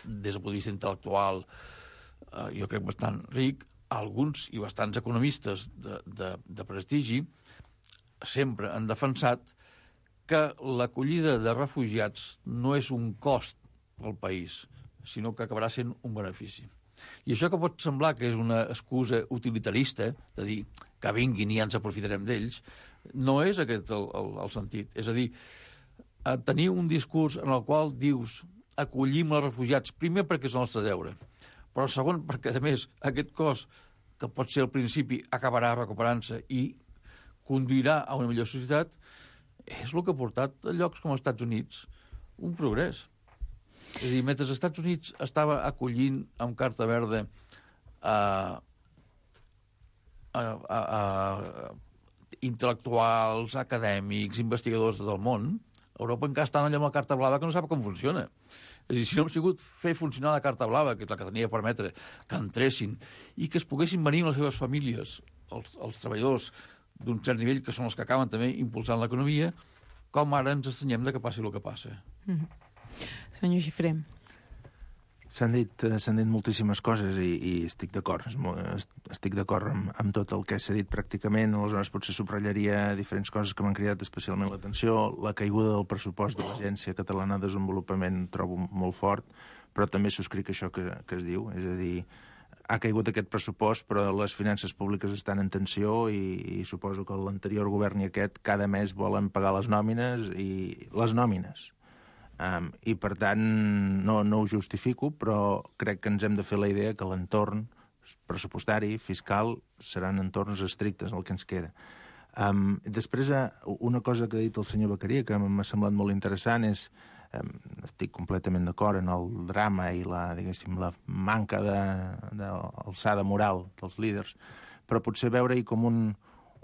des del punt de vista intel·lectual, jo crec bastant ric, alguns i bastants economistes de prestigi sempre han defensat que l'acollida de refugiats no és un cost pel país, sinó que acabarà sent un benefici. I això que pot semblar que és una excusa utilitarista, de dir que vinguin i ja ens aprofitarem d'ells, no és aquest el sentit. És a dir, tenir un discurs en el qual dius acollim els refugiats, primer perquè és el nostre deure, però segon perquè, a més, aquest cost, que pot ser al principi, acabarà recuperant-se i conduirà a una millor societat, és el que ha portat a llocs com els Estats Units un progrés. És a dir, mentre els Estats Units estava acollint amb carta verda intel·lectuals, acadèmics, investigadors de tot el món, Europa encara està allà amb la carta blava que no sap com funciona. És a dir, si no hem sigut fer funcionar la carta blava, que és la que tenia a permetre que entressin i que es poguessin venir amb les seves famílies, els treballadors d'un cert nivell, que són els que acaben també impulsant l'economia, com ara ens estranyem de que passi el que passa.
Senyor Xifré.
S'han dit moltíssimes coses i estic d'acord. Estic d'acord amb tot el que s'ha dit pràcticament. Aleshores, potser subratllaria diferents coses que m'han cridat especialment l'atenció. La caiguda del pressupost de l'Agència Catalana de Desenvolupament trobo molt fort, però també subscric això que es diu. És a dir, ha caigut aquest pressupost, però les finances públiques estan en tensió i suposo que l'anterior govern i aquest cada mes volen pagar les nòmines i per tant no ho justifico, però crec que ens hem de fer la idea que l'entorn pressupostari, fiscal, seran entorns estrictes el que ens queda. Després, una cosa que ha dit el senyor Beccaria que m'ha semblat molt interessant és estic completament d'acord en el drama i la manca d'alçada moral dels líders, però potser veure-hi com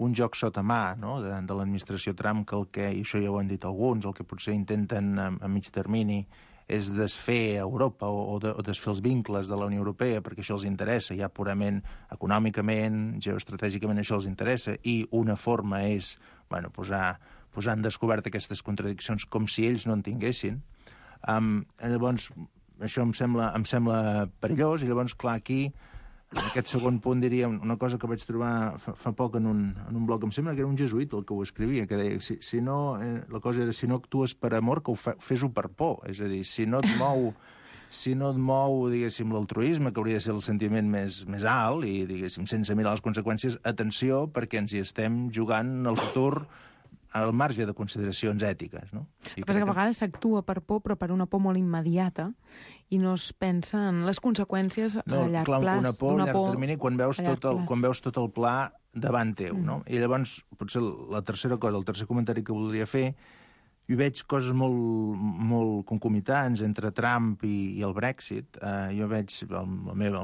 un joc sota mà, no?, de l'administració Trump, que i això ja ho han dit alguns, el que potser intenten a mig termini és desfer Europa o desfer els vincles de la Unió Europea perquè això els interessa, ja purament econòmicament, geoestratègicament això els interessa, i una forma és posar en descobert aquestes contradiccions com si ells no en tinguessin. Llavors, això em sembla perillós, i llavors, clar, aquí, en aquest segon punt, diria una cosa que vaig trobar fa poc en un blog, em sembla que era un jesuït el que ho escrivia, que deia, la cosa era, si no actues per amor, que fes-ho per por. És a dir, si no et mou, diguéssim, l'altruisme, que hauria de ser el sentiment més alt, i, diguéssim, sense mirar les conseqüències, atenció, perquè ens hi estem jugant el futur al marge de consideracions ètiques, no?
El que passa que a vegades s'actua per por, però per una por molt immediata, i no es pensa en les conseqüències a llarg plaç.
Una por a llarg termini quan veus tot el pla davant teu, no? I llavors, potser la tercera cosa, el tercer comentari que voldria fer, jo veig coses molt concomitants entre Trump i el Brexit. Jo veig, al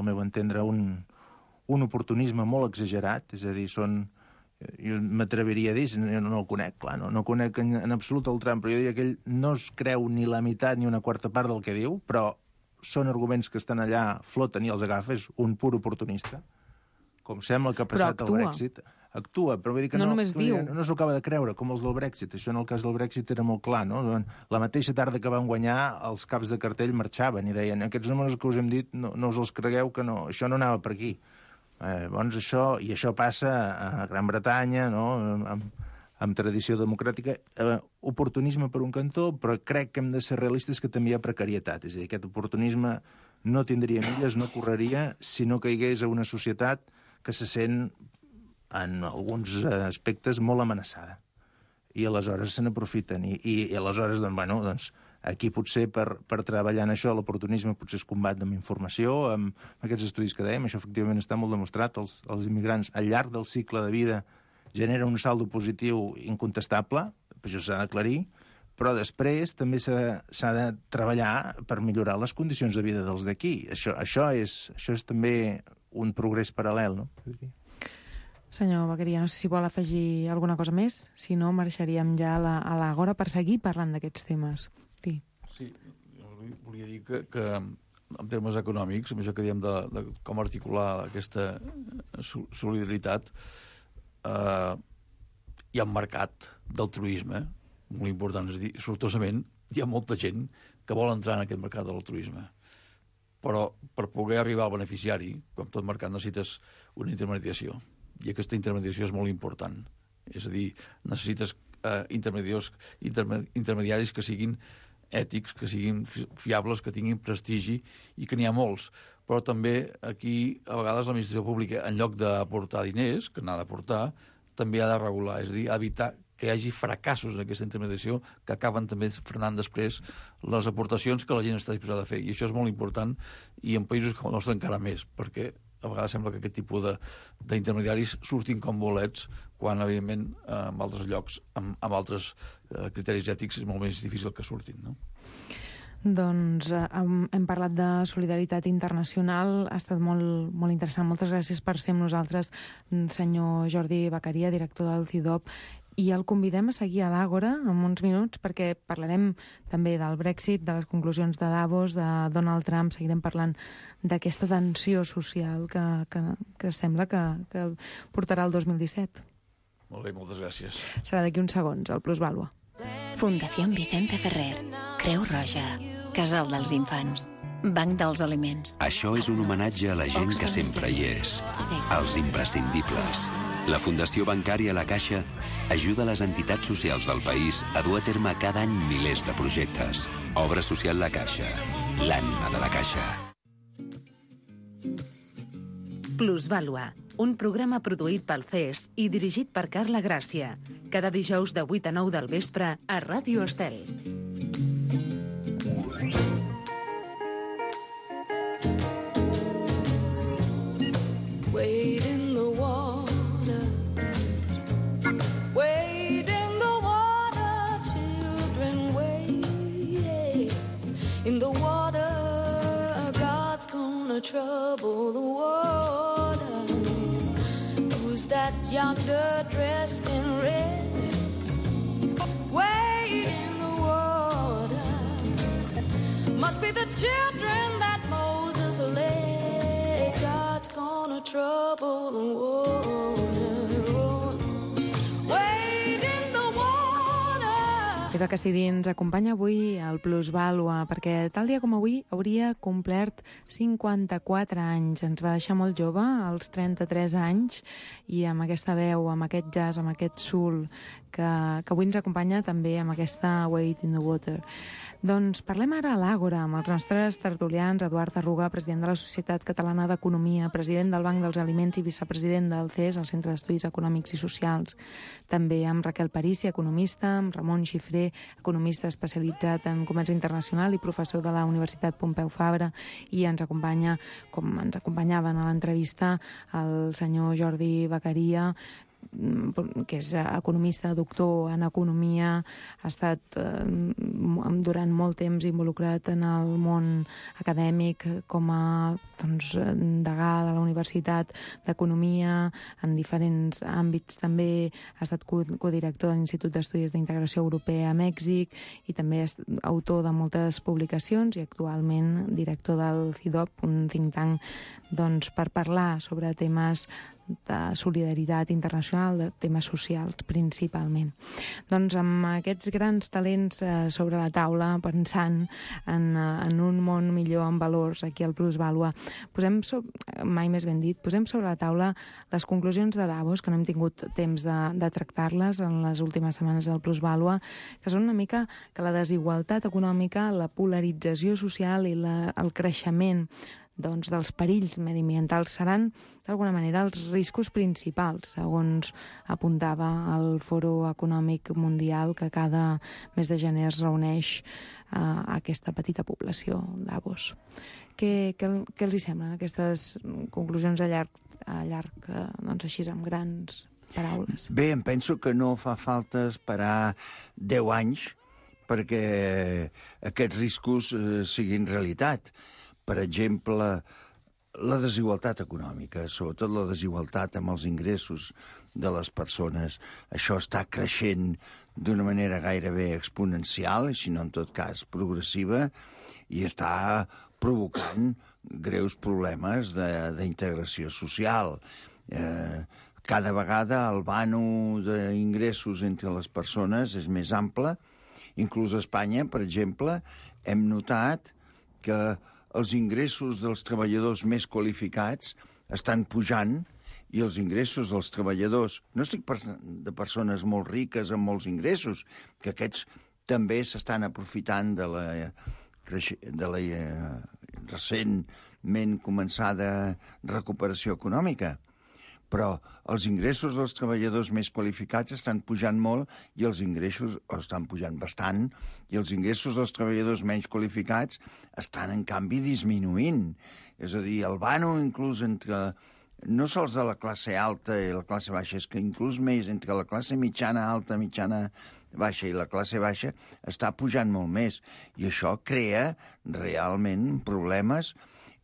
meu entendre, un oportunisme molt exagerat, és a dir, jo m'atreviria a dir, no el conec, clar, no conec en absolut el Trump, però jo diria que ell no es creu ni la meitat ni una quarta part del que diu, però són arguments que estan allà, floten i els agafa, és un pur oportunista, com sembla que ha passat el Brexit. Actua, però vull dir que no s'ho acaba de creure, com els del Brexit. Això en el cas del Brexit era molt clar, no? La mateixa tarda que van guanyar, els caps de cartell marxaven i deien, aquests números que us hem dit no us els cregueu, que no, això no anava per aquí. Doncs això passa a Gran Bretanya, no?, amb tradició democràtica, oportunisme per un cantó, però crec que hem de ser realistes que també hi ha precarietat. És a dir, aquest oportunisme no tindria milles, no correria si no caigués a una societat que se sent, en alguns aspectes, molt amenaçada. I aleshores se n'aprofiten. I aleshores, Aquí potser per treballar en això l'oportunisme potser es combat amb informació, amb aquests estudis que dèiem, això efectivament està molt demostrat, els immigrants al llarg del cicle de vida genera un saldo positiu incontestable, això s'ha d'aclarir, però després també s'ha de treballar per millorar les condicions de vida dels d'aquí. Això és també un progrés paral·lel, no?
Senyor Vaqueria, no sé si vol afegir alguna cosa més, si no marxaríem ja a l'Agora per seguir parlant d'aquests temes.
Sí, volia dir que en termes econòmics, amb això que diem de com articular aquesta solidaritat, hi ha un mercat d'altruisme molt important, és a dir, sortosament hi ha molta gent que vol entrar en aquest mercat de l'altruisme, però per poder arribar al beneficiari, com tot mercat, necessites una intermediació, i aquesta intermediació és molt important, és a dir, necessites intermediaris que siguin ètics, que siguin fiables, que tinguin prestigi, i que n'hi ha molts. Però també aquí, a vegades, l'administració pública, en lloc d'aportar diners, que n'ha d'aportar, també ha de regular, és a dir, evitar que hi hagi fracassos en aquesta intermediació que acaben també frenant després les aportacions que la gent està disposada a fer. I això és molt important, i en països com el nostre encara més, perquè a vegades sembla que aquest tipus d'intermediaris surtin com bolets, quan, evidentment, en altres llocs, amb altres criteris ètics, és molt més difícil que surtin, no?
Doncs hem parlat de solidaritat internacional, ha estat molt interessant. Moltes gràcies per ser amb nosaltres, senyor Jordi Vaqueria, director del CIDOB, i el convidem a seguir a l'Àgora en uns minuts perquè parlarem també del Brexit, de les conclusions de Davos, de Donald Trump, seguirem parlant d'aquesta tensió social que sembla que portarà el 2017.
Molt bé, moltes gràcies.
Serà d'aquí uns segons, el Plusvàlua.
Fundació Vicente Ferrer, Creu Roja, Casal dels Infants, Banc dels Aliments.
Això és un homenatge a la gent que sempre hi és, als imprescindibles. La Fundació Bancària La Caixa ajuda les entitats socials del país a dur a terme cada any milers de projectes. Obra social La Caixa, l'ànima de la Caixa.
Plusvàlua, un programa produït pel CES i dirigit per Carla Gràcia. Cada dijous de 8 a 9 del vespre a Ràdio Estel.
Wade in the water, wade in the water, children, wade in the water. God's gonna trouble the water. Who's that yonder dressed in red? Wade in the water. Must be the children that Moses led. God's gonna trouble the water. Wade in the water.
Eva Cassidy ens acompanya avui al Plusvàlua perquè tal dia com avui hauria complert 54 anys. Ens va deixar molt jove, als 33 anys, i amb aquesta veu, amb aquest jazz, amb aquest soul que avui ens acompanya també amb aquesta Wade in the Water. Doncs parlem ara a l'Àgora amb els nostres tertulians, Eduard Arruga, president de la Societat Catalana d'Economia, president del Banc dels Aliments i vicepresident del CES, el Centre d'Estudis Econòmics i Socials. També amb Raquel Parissi, economista, amb Ramon Xifré, economista especialitzat en comerç internacional i professor de la Universitat Pompeu Fabra, i ens acompanya, com ens acompanyaven a l'entrevista, el senyor Jordi Vaqueria, que és economista, doctor en economia, ha estat durant molt temps involucrat en el món acadèmic com a degà de la Universitat d'Economia, en diferents àmbits també ha estat codirector de l'Institut d'Estudis d'Integració Europea a Mèxic i també és autor de moltes publicacions i actualment director del CIDOB, un think tank per parlar sobre temes de solidaritat internacional, de temes socials principalment. Doncs amb aquests grans talents sobre la taula, pensant en un món millor amb valors aquí al Plusvàlua, mai més ben dit, posem sobre la taula les conclusions de Davos, que no hem tingut temps de tractar-les en les últimes setmanes del Plusvàlua, que són una mica que la desigualtat econòmica, la polarització social i el creixement dels perills mediambientals seran, d'alguna manera, els riscos principals, segons apuntava el Foro Econòmic Mundial, que cada mes de gener es reuneix a aquesta petita població, Davos. Què els hi semblen aquestes conclusions a llarg doncs així amb grans paraules?
Bé, em penso que no fa falta esperar 10 anys perquè aquests riscos siguin realitat. Per exemple, la desigualtat econòmica, sobretot la desigualtat amb els ingressos de les persones, això està creixent d'una manera gairebé exponencial, si no en tot cas progressiva, i està provocant greus problemes d'integració social. Cada vegada el vano d'ingressos entre les persones és més ample. Inclús a Espanya, per exemple, hem notat que els ingressos dels treballadors més qualificats estan pujant i els ingressos dels treballadors, no estic de persones molt riques amb molts ingressos, que aquests també s'estan aprofitant de la recentment començada recuperació econòmica, però els ingressos dels treballadors més qualificats estan pujant molt i els ingressos estan pujant bastant i els ingressos dels treballadors menys qualificats estan, en canvi, disminuint. És a dir, el vano inclús entre no sols de la classe alta i la classe baixa, és que inclús més entre la classe mitjana alta, mitjana baixa i la classe baixa està pujant molt més. I això crea realment problemes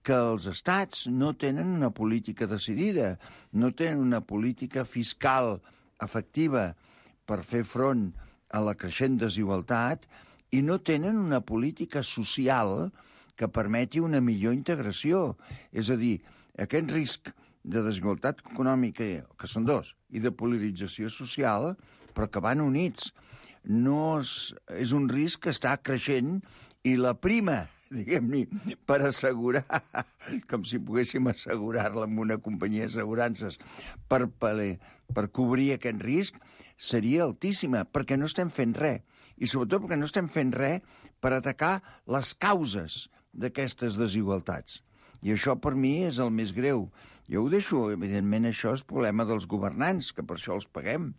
que els estats no tenen una política decidida, no tenen una política fiscal efectiva per fer front a la creixent desigualtat i no tenen una política social que permeti una millor integració. És a dir, aquest risc de desigualtat econòmica, que són dos, i de polarització social, però que van units, no és un risc que està creixent i la prima, diguem-ne, per assegurar, com si poguéssim assegurar-la amb una companyia d'assegurances, per cobrir aquest risc, seria altíssima, perquè no estem fent res. I sobretot perquè no estem fent res per atacar les causes d'aquestes desigualtats. I això per mi és el més greu. Jo ho deixo, evidentment això és problema dels governants, que per això els paguem,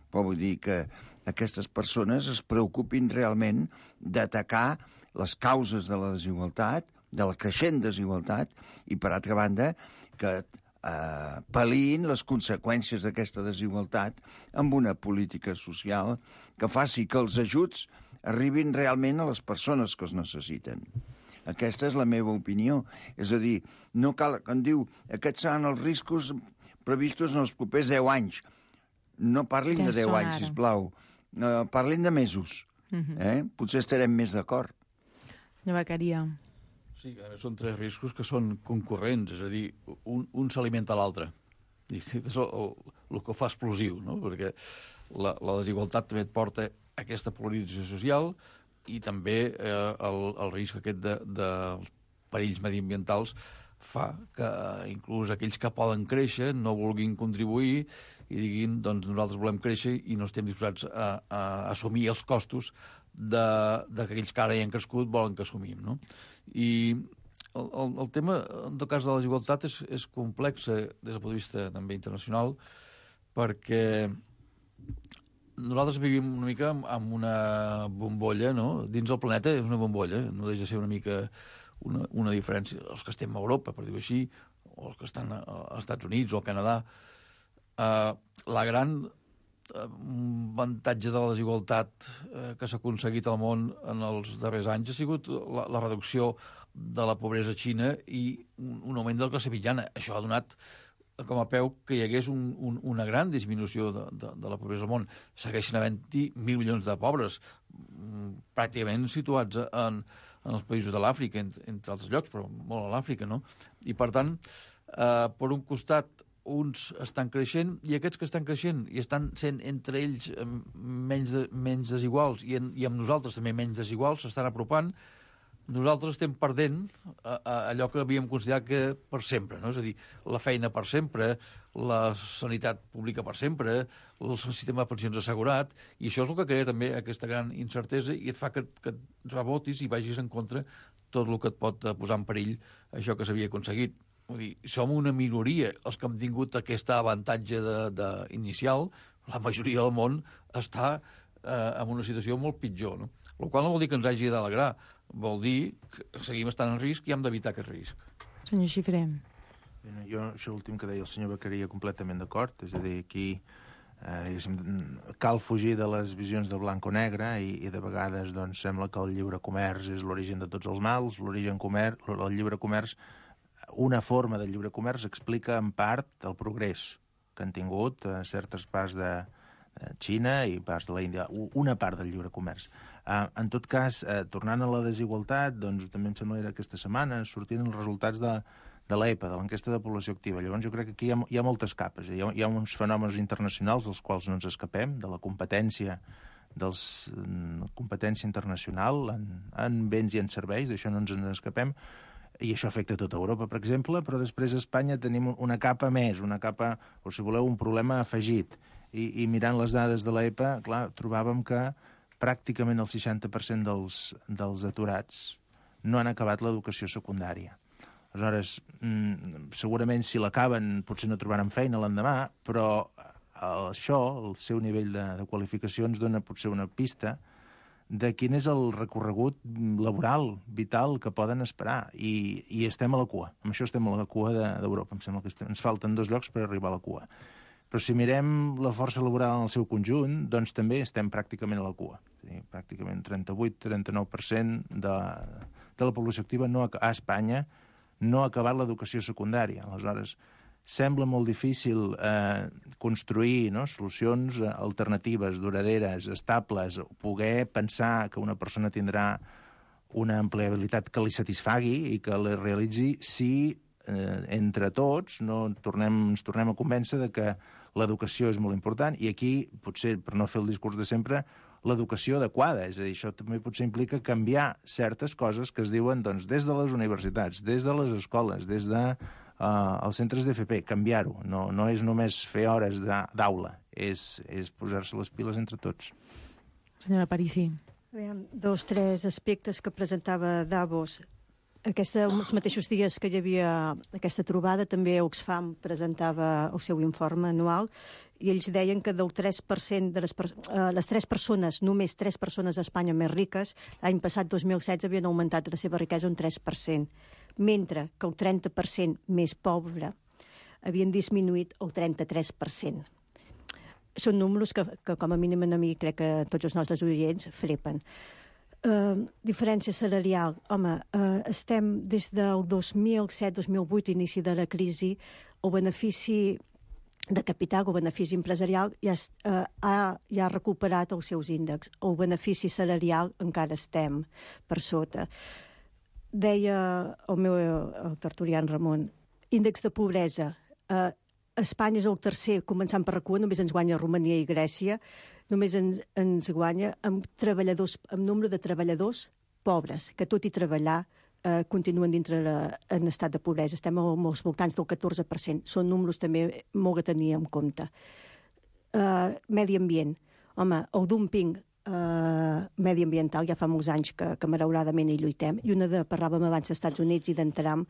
però vull dir que aquestes persones es preocupin realment d'atacar les causes de la desigualtat, de la creixent desigualtat, i, per altra banda, que pal·liïn les conseqüències d'aquesta desigualtat amb una política social que faci que els ajuts arribin realment a les persones que els necessiten. Aquesta és la meva opinió. És a dir, no cal, quan diu aquests seran els riscos previstos en els propers 10 anys. No parlin de 10 anys, sisplau. Parlin de mesos. Potser estarem més d'acord.
Llevacaria.
Sí, són 3 riscos que són concurrents, és a dir, un s'alimenta l'altre. És el que ho fa explosiu, no? Perquè la desigualtat també et porta a aquesta polarització social i també el risc aquest dels perills mediambientals fa que inclús aquells que poden créixer no vulguin contribuir i diguin, doncs nosaltres volem créixer i no estem disposats a assumir els costos d'aquells que ara hi han crescut volen que assumim, no? I el tema, en tot cas, de la desigualtat és complex des del punt de vista també internacional, perquè nosaltres vivim una mica amb una bombolla, no? Dins el planeta és una bombolla, no deixa de ser una mica una diferència. Els que estem a Europa, per dir-ho així, o els que estan als Estats Units o al Canadà, la gran avantatge de la desigualtat que s'ha aconseguit al món en els darrers anys ha sigut la reducció de la pobresa a Xina i un augment de la classe mitjana. Això ha donat com a peu que hi hagués una gran disminució de la pobresa al món. Segueixen havent-hi 1.000 milions de pobres, pràcticament situats en els països de l'Àfrica, entre altres llocs, però molt a l'Àfrica, no? I, per tant, per un costat, uns estan creixent i aquests que estan creixent i estan sent entre ells menys desiguals i amb nosaltres també menys desiguals, s'estan apropant, nosaltres estem perdent allò que havíem considerat que per sempre, no? És a dir, la feina per sempre, la sanitat pública per sempre, el sistema de pensions assegurat, i això és el que crea també aquesta gran incertesa i et fa que et rebotis i vagis en contra tot el que et pot posar en perill això que s'havia aconseguit. Vull dir, som una minoria els que hem tingut aquest avantatge inicial. La majoria del món està en una situació molt pitjor, no? el qual no vol dir que ens hagi d'alegrar, vol dir que seguim estant en risc i hem d'evitar aquest risc.
Senyor Xifré.
Jo, això últim que deia el senyor Beccaria, completament d'acord, és a dir, aquí cal fugir de les visions de blanc o negre i de vegades doncs, sembla que el lliure comerç és l'origen de tots els mals. El lliure comerç, una forma de lliure comerç explica en part el progrés que han tingut certes parts de Xina i parts de l'Índia, una part del lliure comerç. En tot cas, tornant a la desigualtat, doncs també em sembla que aquesta setmana sortien els resultats de l'EPA, de l'enquesta de població activa. Llavors jo crec que aquí hi ha moltes capes. Hi ha uns fenòmens internacionals dels quals no ens escapem, de la competència internacional en béns i en serveis, d'això no ens escapem, i això afecta tota Europa, per exemple, però després a Espanya tenim una capa més, una capa, o si voleu, un problema afegit. I mirant les dades de l'EPA, clar, trobàvem que pràcticament el 60% dels aturats no han acabat l'educació secundària. Aleshores, segurament si l'acaben potser no trobaran feina l'endemà, però això, el seu nivell de qualificació, ens dona potser una pista de quin és el recorregut laboral, vital, que poden esperar. I estem a la cua. Amb això estem a la cua d'Europa. Em sembla que ens falten 2 llocs per arribar a la cua. Però si mirem la força laboral en el seu conjunt, doncs també estem pràcticament a la cua. Pràcticament 38-39% de la població activa a Espanya no ha acabat l'educació secundària. Aleshores, sembla molt difícil construir solucions alternatives, duraderes, estables, poder pensar que una persona tindrà una empleabilitat que li satisfagui i que la realitzi si entre tots ens tornem a convèncer de que l'educació és molt important i aquí, potser, per no fer el discurs de sempre, l'educació adequada. És a dir, això també potser implica canviar certes coses que es diuen des de les universitats, des de les escoles, des dels centres d'FP, canviar-ho. No és només fer hores d'aula, és posar-se les piles entre tots.
Senyora Parisi.
2 o 3 aspectes que presentava Davos. Els mateixos dies que hi havia aquesta trobada, també Oxfam presentava el seu informe anual i ells deien que del 3% de les 3 persones, només 3 persones a Espanya més riques, l'any passat, 2016, havien augmentat la seva riquesa un 3%, mentre que el 30% més pobre havien disminuït el 33%. Són números que com a mínim a mi crec que tots els nostres oients frepen. Diferència salarial. Home, estem des del 2007-2008, inici de la crisi, el benefici de capital, el benefici empresarial ja ha recuperat els seus índexs. El benefici salarial encara estem per sota. Deia el meu tertulià Ramon, índex de pobresa. Espanya és el tercer, començant per RAC1, només ens guanya Romania i Grècia, només ens guanya amb nombre de treballadors pobres, que tot i treballar continuen dintre en estat de pobresa. Estem als voltants del 14%. Són números també molt a tenir en compte. Medi ambient. Home, el dumping mediambiental ja fa molts anys que malauradament hi lluitem, i parlàvem abans dels Estats Units i d'Entram,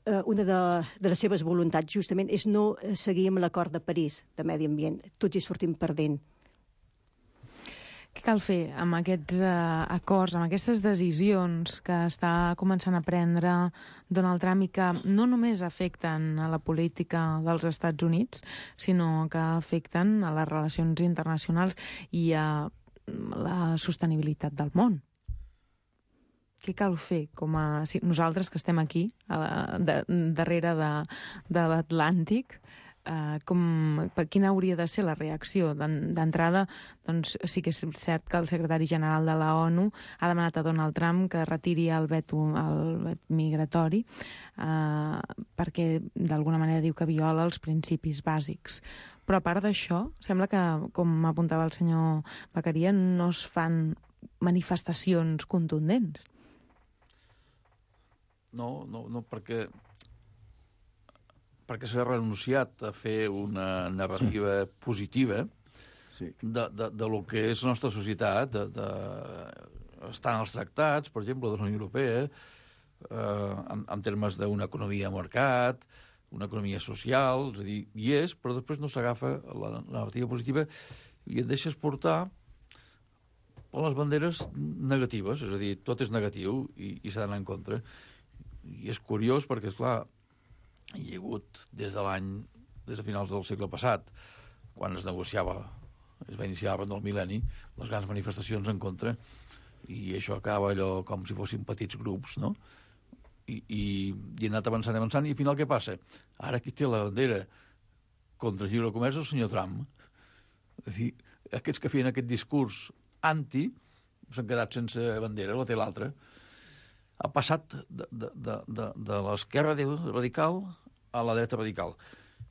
una de les seves voluntats justament és no seguir amb l'acord de París de medi ambient. Tots hi sortim perdent.
Què cal fer amb aquests acords, amb aquestes decisions que està començant a prendre Donald Trump i que no només afecten a la política dels Estats Units, sinó que afecten a les relacions internacionals i a la sostenibilitat del món? Què cal fer nosaltres que estem aquí, darrere de l'Atlàntic? Quina hauria de ser la reacció? D'entrada, doncs sí que és cert que el secretari general de la ONU ha demanat a Donald Trump que retiri el veto migratori perquè d'alguna manera diu que viola els principis bàsics. Però a part d'això, sembla que, com apuntava el senyor Beccaria, no es fan manifestacions contundents.
No, perquè s'ha renunciat a fer una narrativa positiva de lo que és la nostra societat, estan els tractats, per exemple, de la Unió Europea, en termes d'una economia de mercat, una economia social, és a dir, hi és, però després no s'agafa la narrativa positiva i et deixes portar les banderes negatives, és a dir, tot és negatiu i s'ha d'anar en contra. I és curiós perquè, esclar, hi ha hagut des de finals del segle passat, quan es va iniciar abans del mil·lenni, les grans manifestacions en contra, i això acaba allò com si fossin petits grups, no? I ha anat avançant, i al final què passa? Ara qui té la bandera contra el lliure comerç és el senyor Trump. És dir, aquests que feien aquest discurs anti s'han quedat sense bandera, la té l'altra. Ha passat de l'esquerra radical a la dreta radical.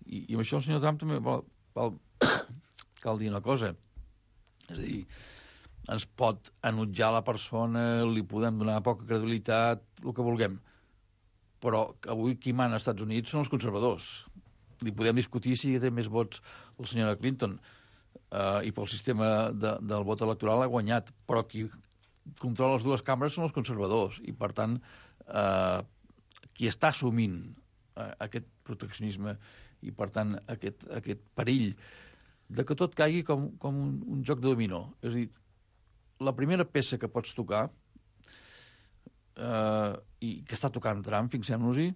I amb això el senyor Trump també cal dir una cosa. És a dir, ens pot enutjar la persona, li podem donar poca credibilitat, el que vulguem. Però avui qui mana als Estats Units són els conservadors. Li podem discutir si té més vots la senyora Clinton i pel sistema del vot electoral ha guanyat, però qui controla les dues cambres són els conservadors i, per tant, qui està assumint aquest proteccionisme i, per tant, aquest perill de que tot caigui com un joc de dominó. És a dir, la primera peça que pots tocar i que està tocant Trump, fixem-nos-hi,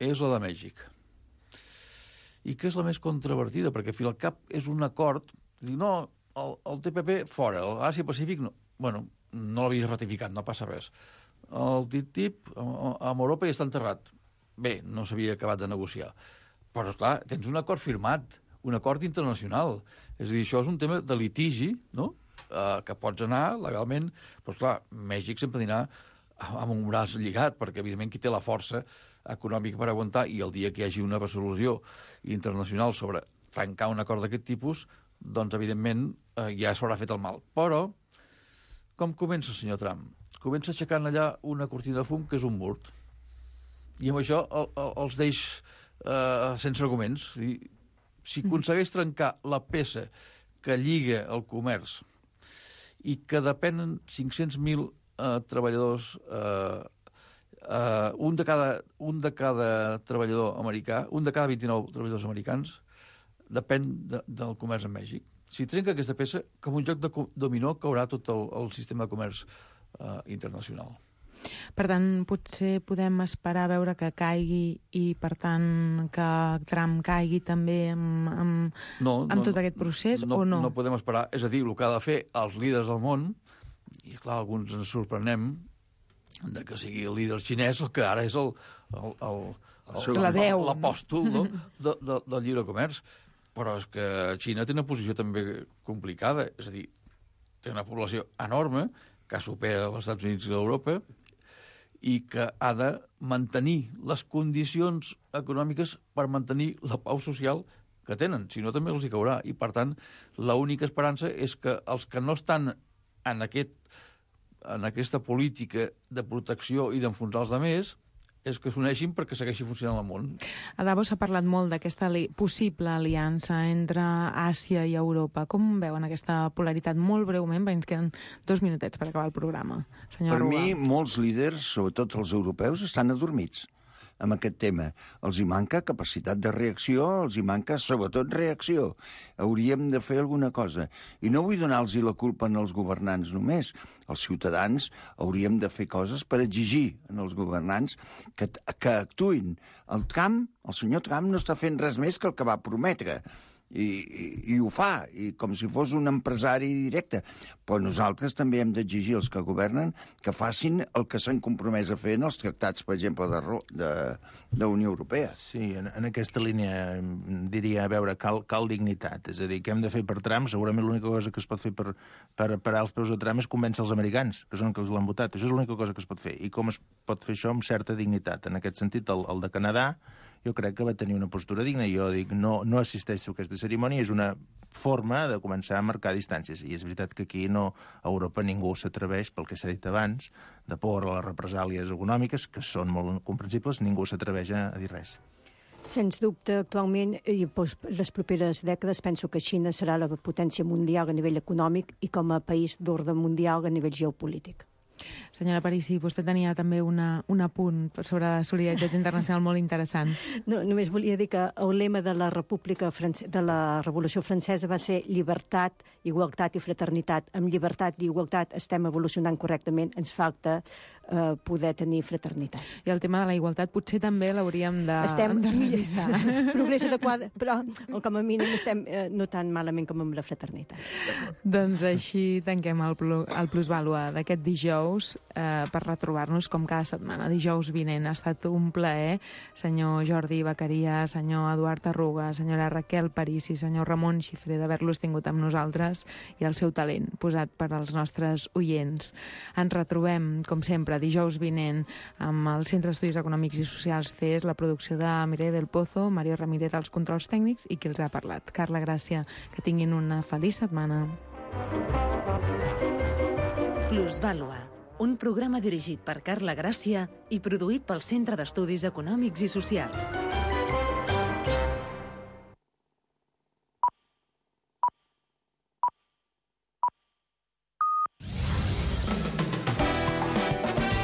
és la de Mèxic. I que és la més controvertida, perquè al cap és un acord, dir, no, el TPP fora, l'Àsia-Pacífic no. Bueno, no l'havia ratificat, no passa res. El TTIP amb Europa ja està enterrat. Bé, no s'havia acabat de negociar. Però, clar, tens un acord firmat, un acord internacional. És a dir, això és un tema de litigi, no?, que pots anar legalment. Però, clar, Mèxic sempre anirà amb un braç lligat, perquè, evidentment, qui té la força econòmica per aguantar, i el dia que hi hagi una resolució internacional sobre trencar un acord d'aquest tipus, doncs, evidentment, ja s'haurà fet el mal. Però, com comença el senyor Trump? Comença aixecant allà una cortina de fum que és un mur. I amb això els deix sense arguments. Si aconsegueix trencar la peça que lliga el comerç i que depenen 500.000 treballadors, un de cada treballador americà, un de cada 29 treballadors americans depèn del comerç amb Mèxic. Si trenca aquesta peça, com un joc de dominó caurà tot el sistema de comerç internacional.
Per tant, potser podem esperar a veure que caigui i, per tant, que Trump caigui també amb tot aquest procés, o no?
No podem esperar. És a dir, el que ha de fer els líders del món, i clar, alguns ens sorprenem de que sigui el líder xinès el que ara és l'apòstol del lliure comerç. Però és que Xina té una posició també complicada. És a dir, té una població enorme que supera els Estats Units i l'Europa i que ha de mantenir les condicions econòmiques per mantenir la pau social que tenen, si no també els hi caurà. I, per tant, l'única esperança és que els que no estan en aquesta política de protecció i d'enfonsar els altres és que s'uneixin perquè segueixi funcionant el món.
A Davos s'ha parlat molt d'aquesta possible aliança entre Àsia i Europa. Com veuen aquesta polaritat? Molt breument, perquè ens queden 2 minutets per acabar el programa. Senyor
Per
Arruga.
mi, molts líders, sobretot els europeus, estan adormits amb aquest tema. Els hi manca capacitat de reacció, els hi manca, sobretot, reacció. Hauríem de fer alguna cosa. I no vull donar-los la culpa als governants només. Els ciutadans hauríem de fer coses per exigir als governants que actuïn. El senyor Trump no està fent res més que el que va prometre. I ho fa, i com si fos un empresari directe. Però nosaltres també hem d'exigir als que governen que facin el que s'han compromès a fer en els tractats, per exemple, de Unió Europea.
Sí, en aquesta línia diria, a veure, cal dignitat. És a dir, què hem de fer per Trump? Segurament l'única cosa que es pot fer per parar els peus de Trump és convèncer els americans, que són els que l'han votat. Això és l'única cosa que es pot fer. I com es pot fer això amb certa dignitat? En aquest sentit, el de Canadà jo crec que va tenir una postura digna. Jo dic, no assisteixo a aquesta cerimònia, és una forma de començar a marcar distàncies. I és veritat que aquí a Europa ningú s'atreveix, pel que s'ha dit abans, de por a les represàlies econòmiques, que són molt comprensibles, ningú s'atreveix a dir res.
Sens dubte, actualment, i les properes dècades, penso que Xina serà la potència mundial a nivell econòmic i com a país d'ordre mundial a nivell geopolític.
Senyora Parisi, vostè tenia també un apunt sobre la solidaritat internacional molt interessant.
No, només volia dir que el lema de la de la Revolució Francesa va ser llibertat, igualtat i fraternitat. Amb llibertat i igualtat estem evolucionant correctament, ens falta poder tenir fraternitat.
I el tema de la igualtat potser també l'hauríem de revisar.
Progrés adequat, però com a mínim estem no tan malament com amb la fraternitat.
Doncs així tanquem el Plusvàlua d'aquest dijous per retrobar-nos com cada setmana. Dijous vinent ha estat un plaer. Senyor Jordi Beccaria, senyor Eduard Arruga, senyora Raquel Parisi, senyor Ramon Xifré, d'haver-los tingut amb nosaltres i el seu talent posat per als nostres oients. Ens retrobem, com sempre, dijous vinent amb el Centre d'Estudis Econòmics i Socials CES, la producció de Mireia del Pozo, Mario Ramírez als controls tècnics i qui els ha parlat, Carla Gràcia. Que tinguin una feliç setmana.
Plusvàlua, un programa dirigit per Carla Gràcia i produït pel Centre d'Estudis Econòmics i Socials.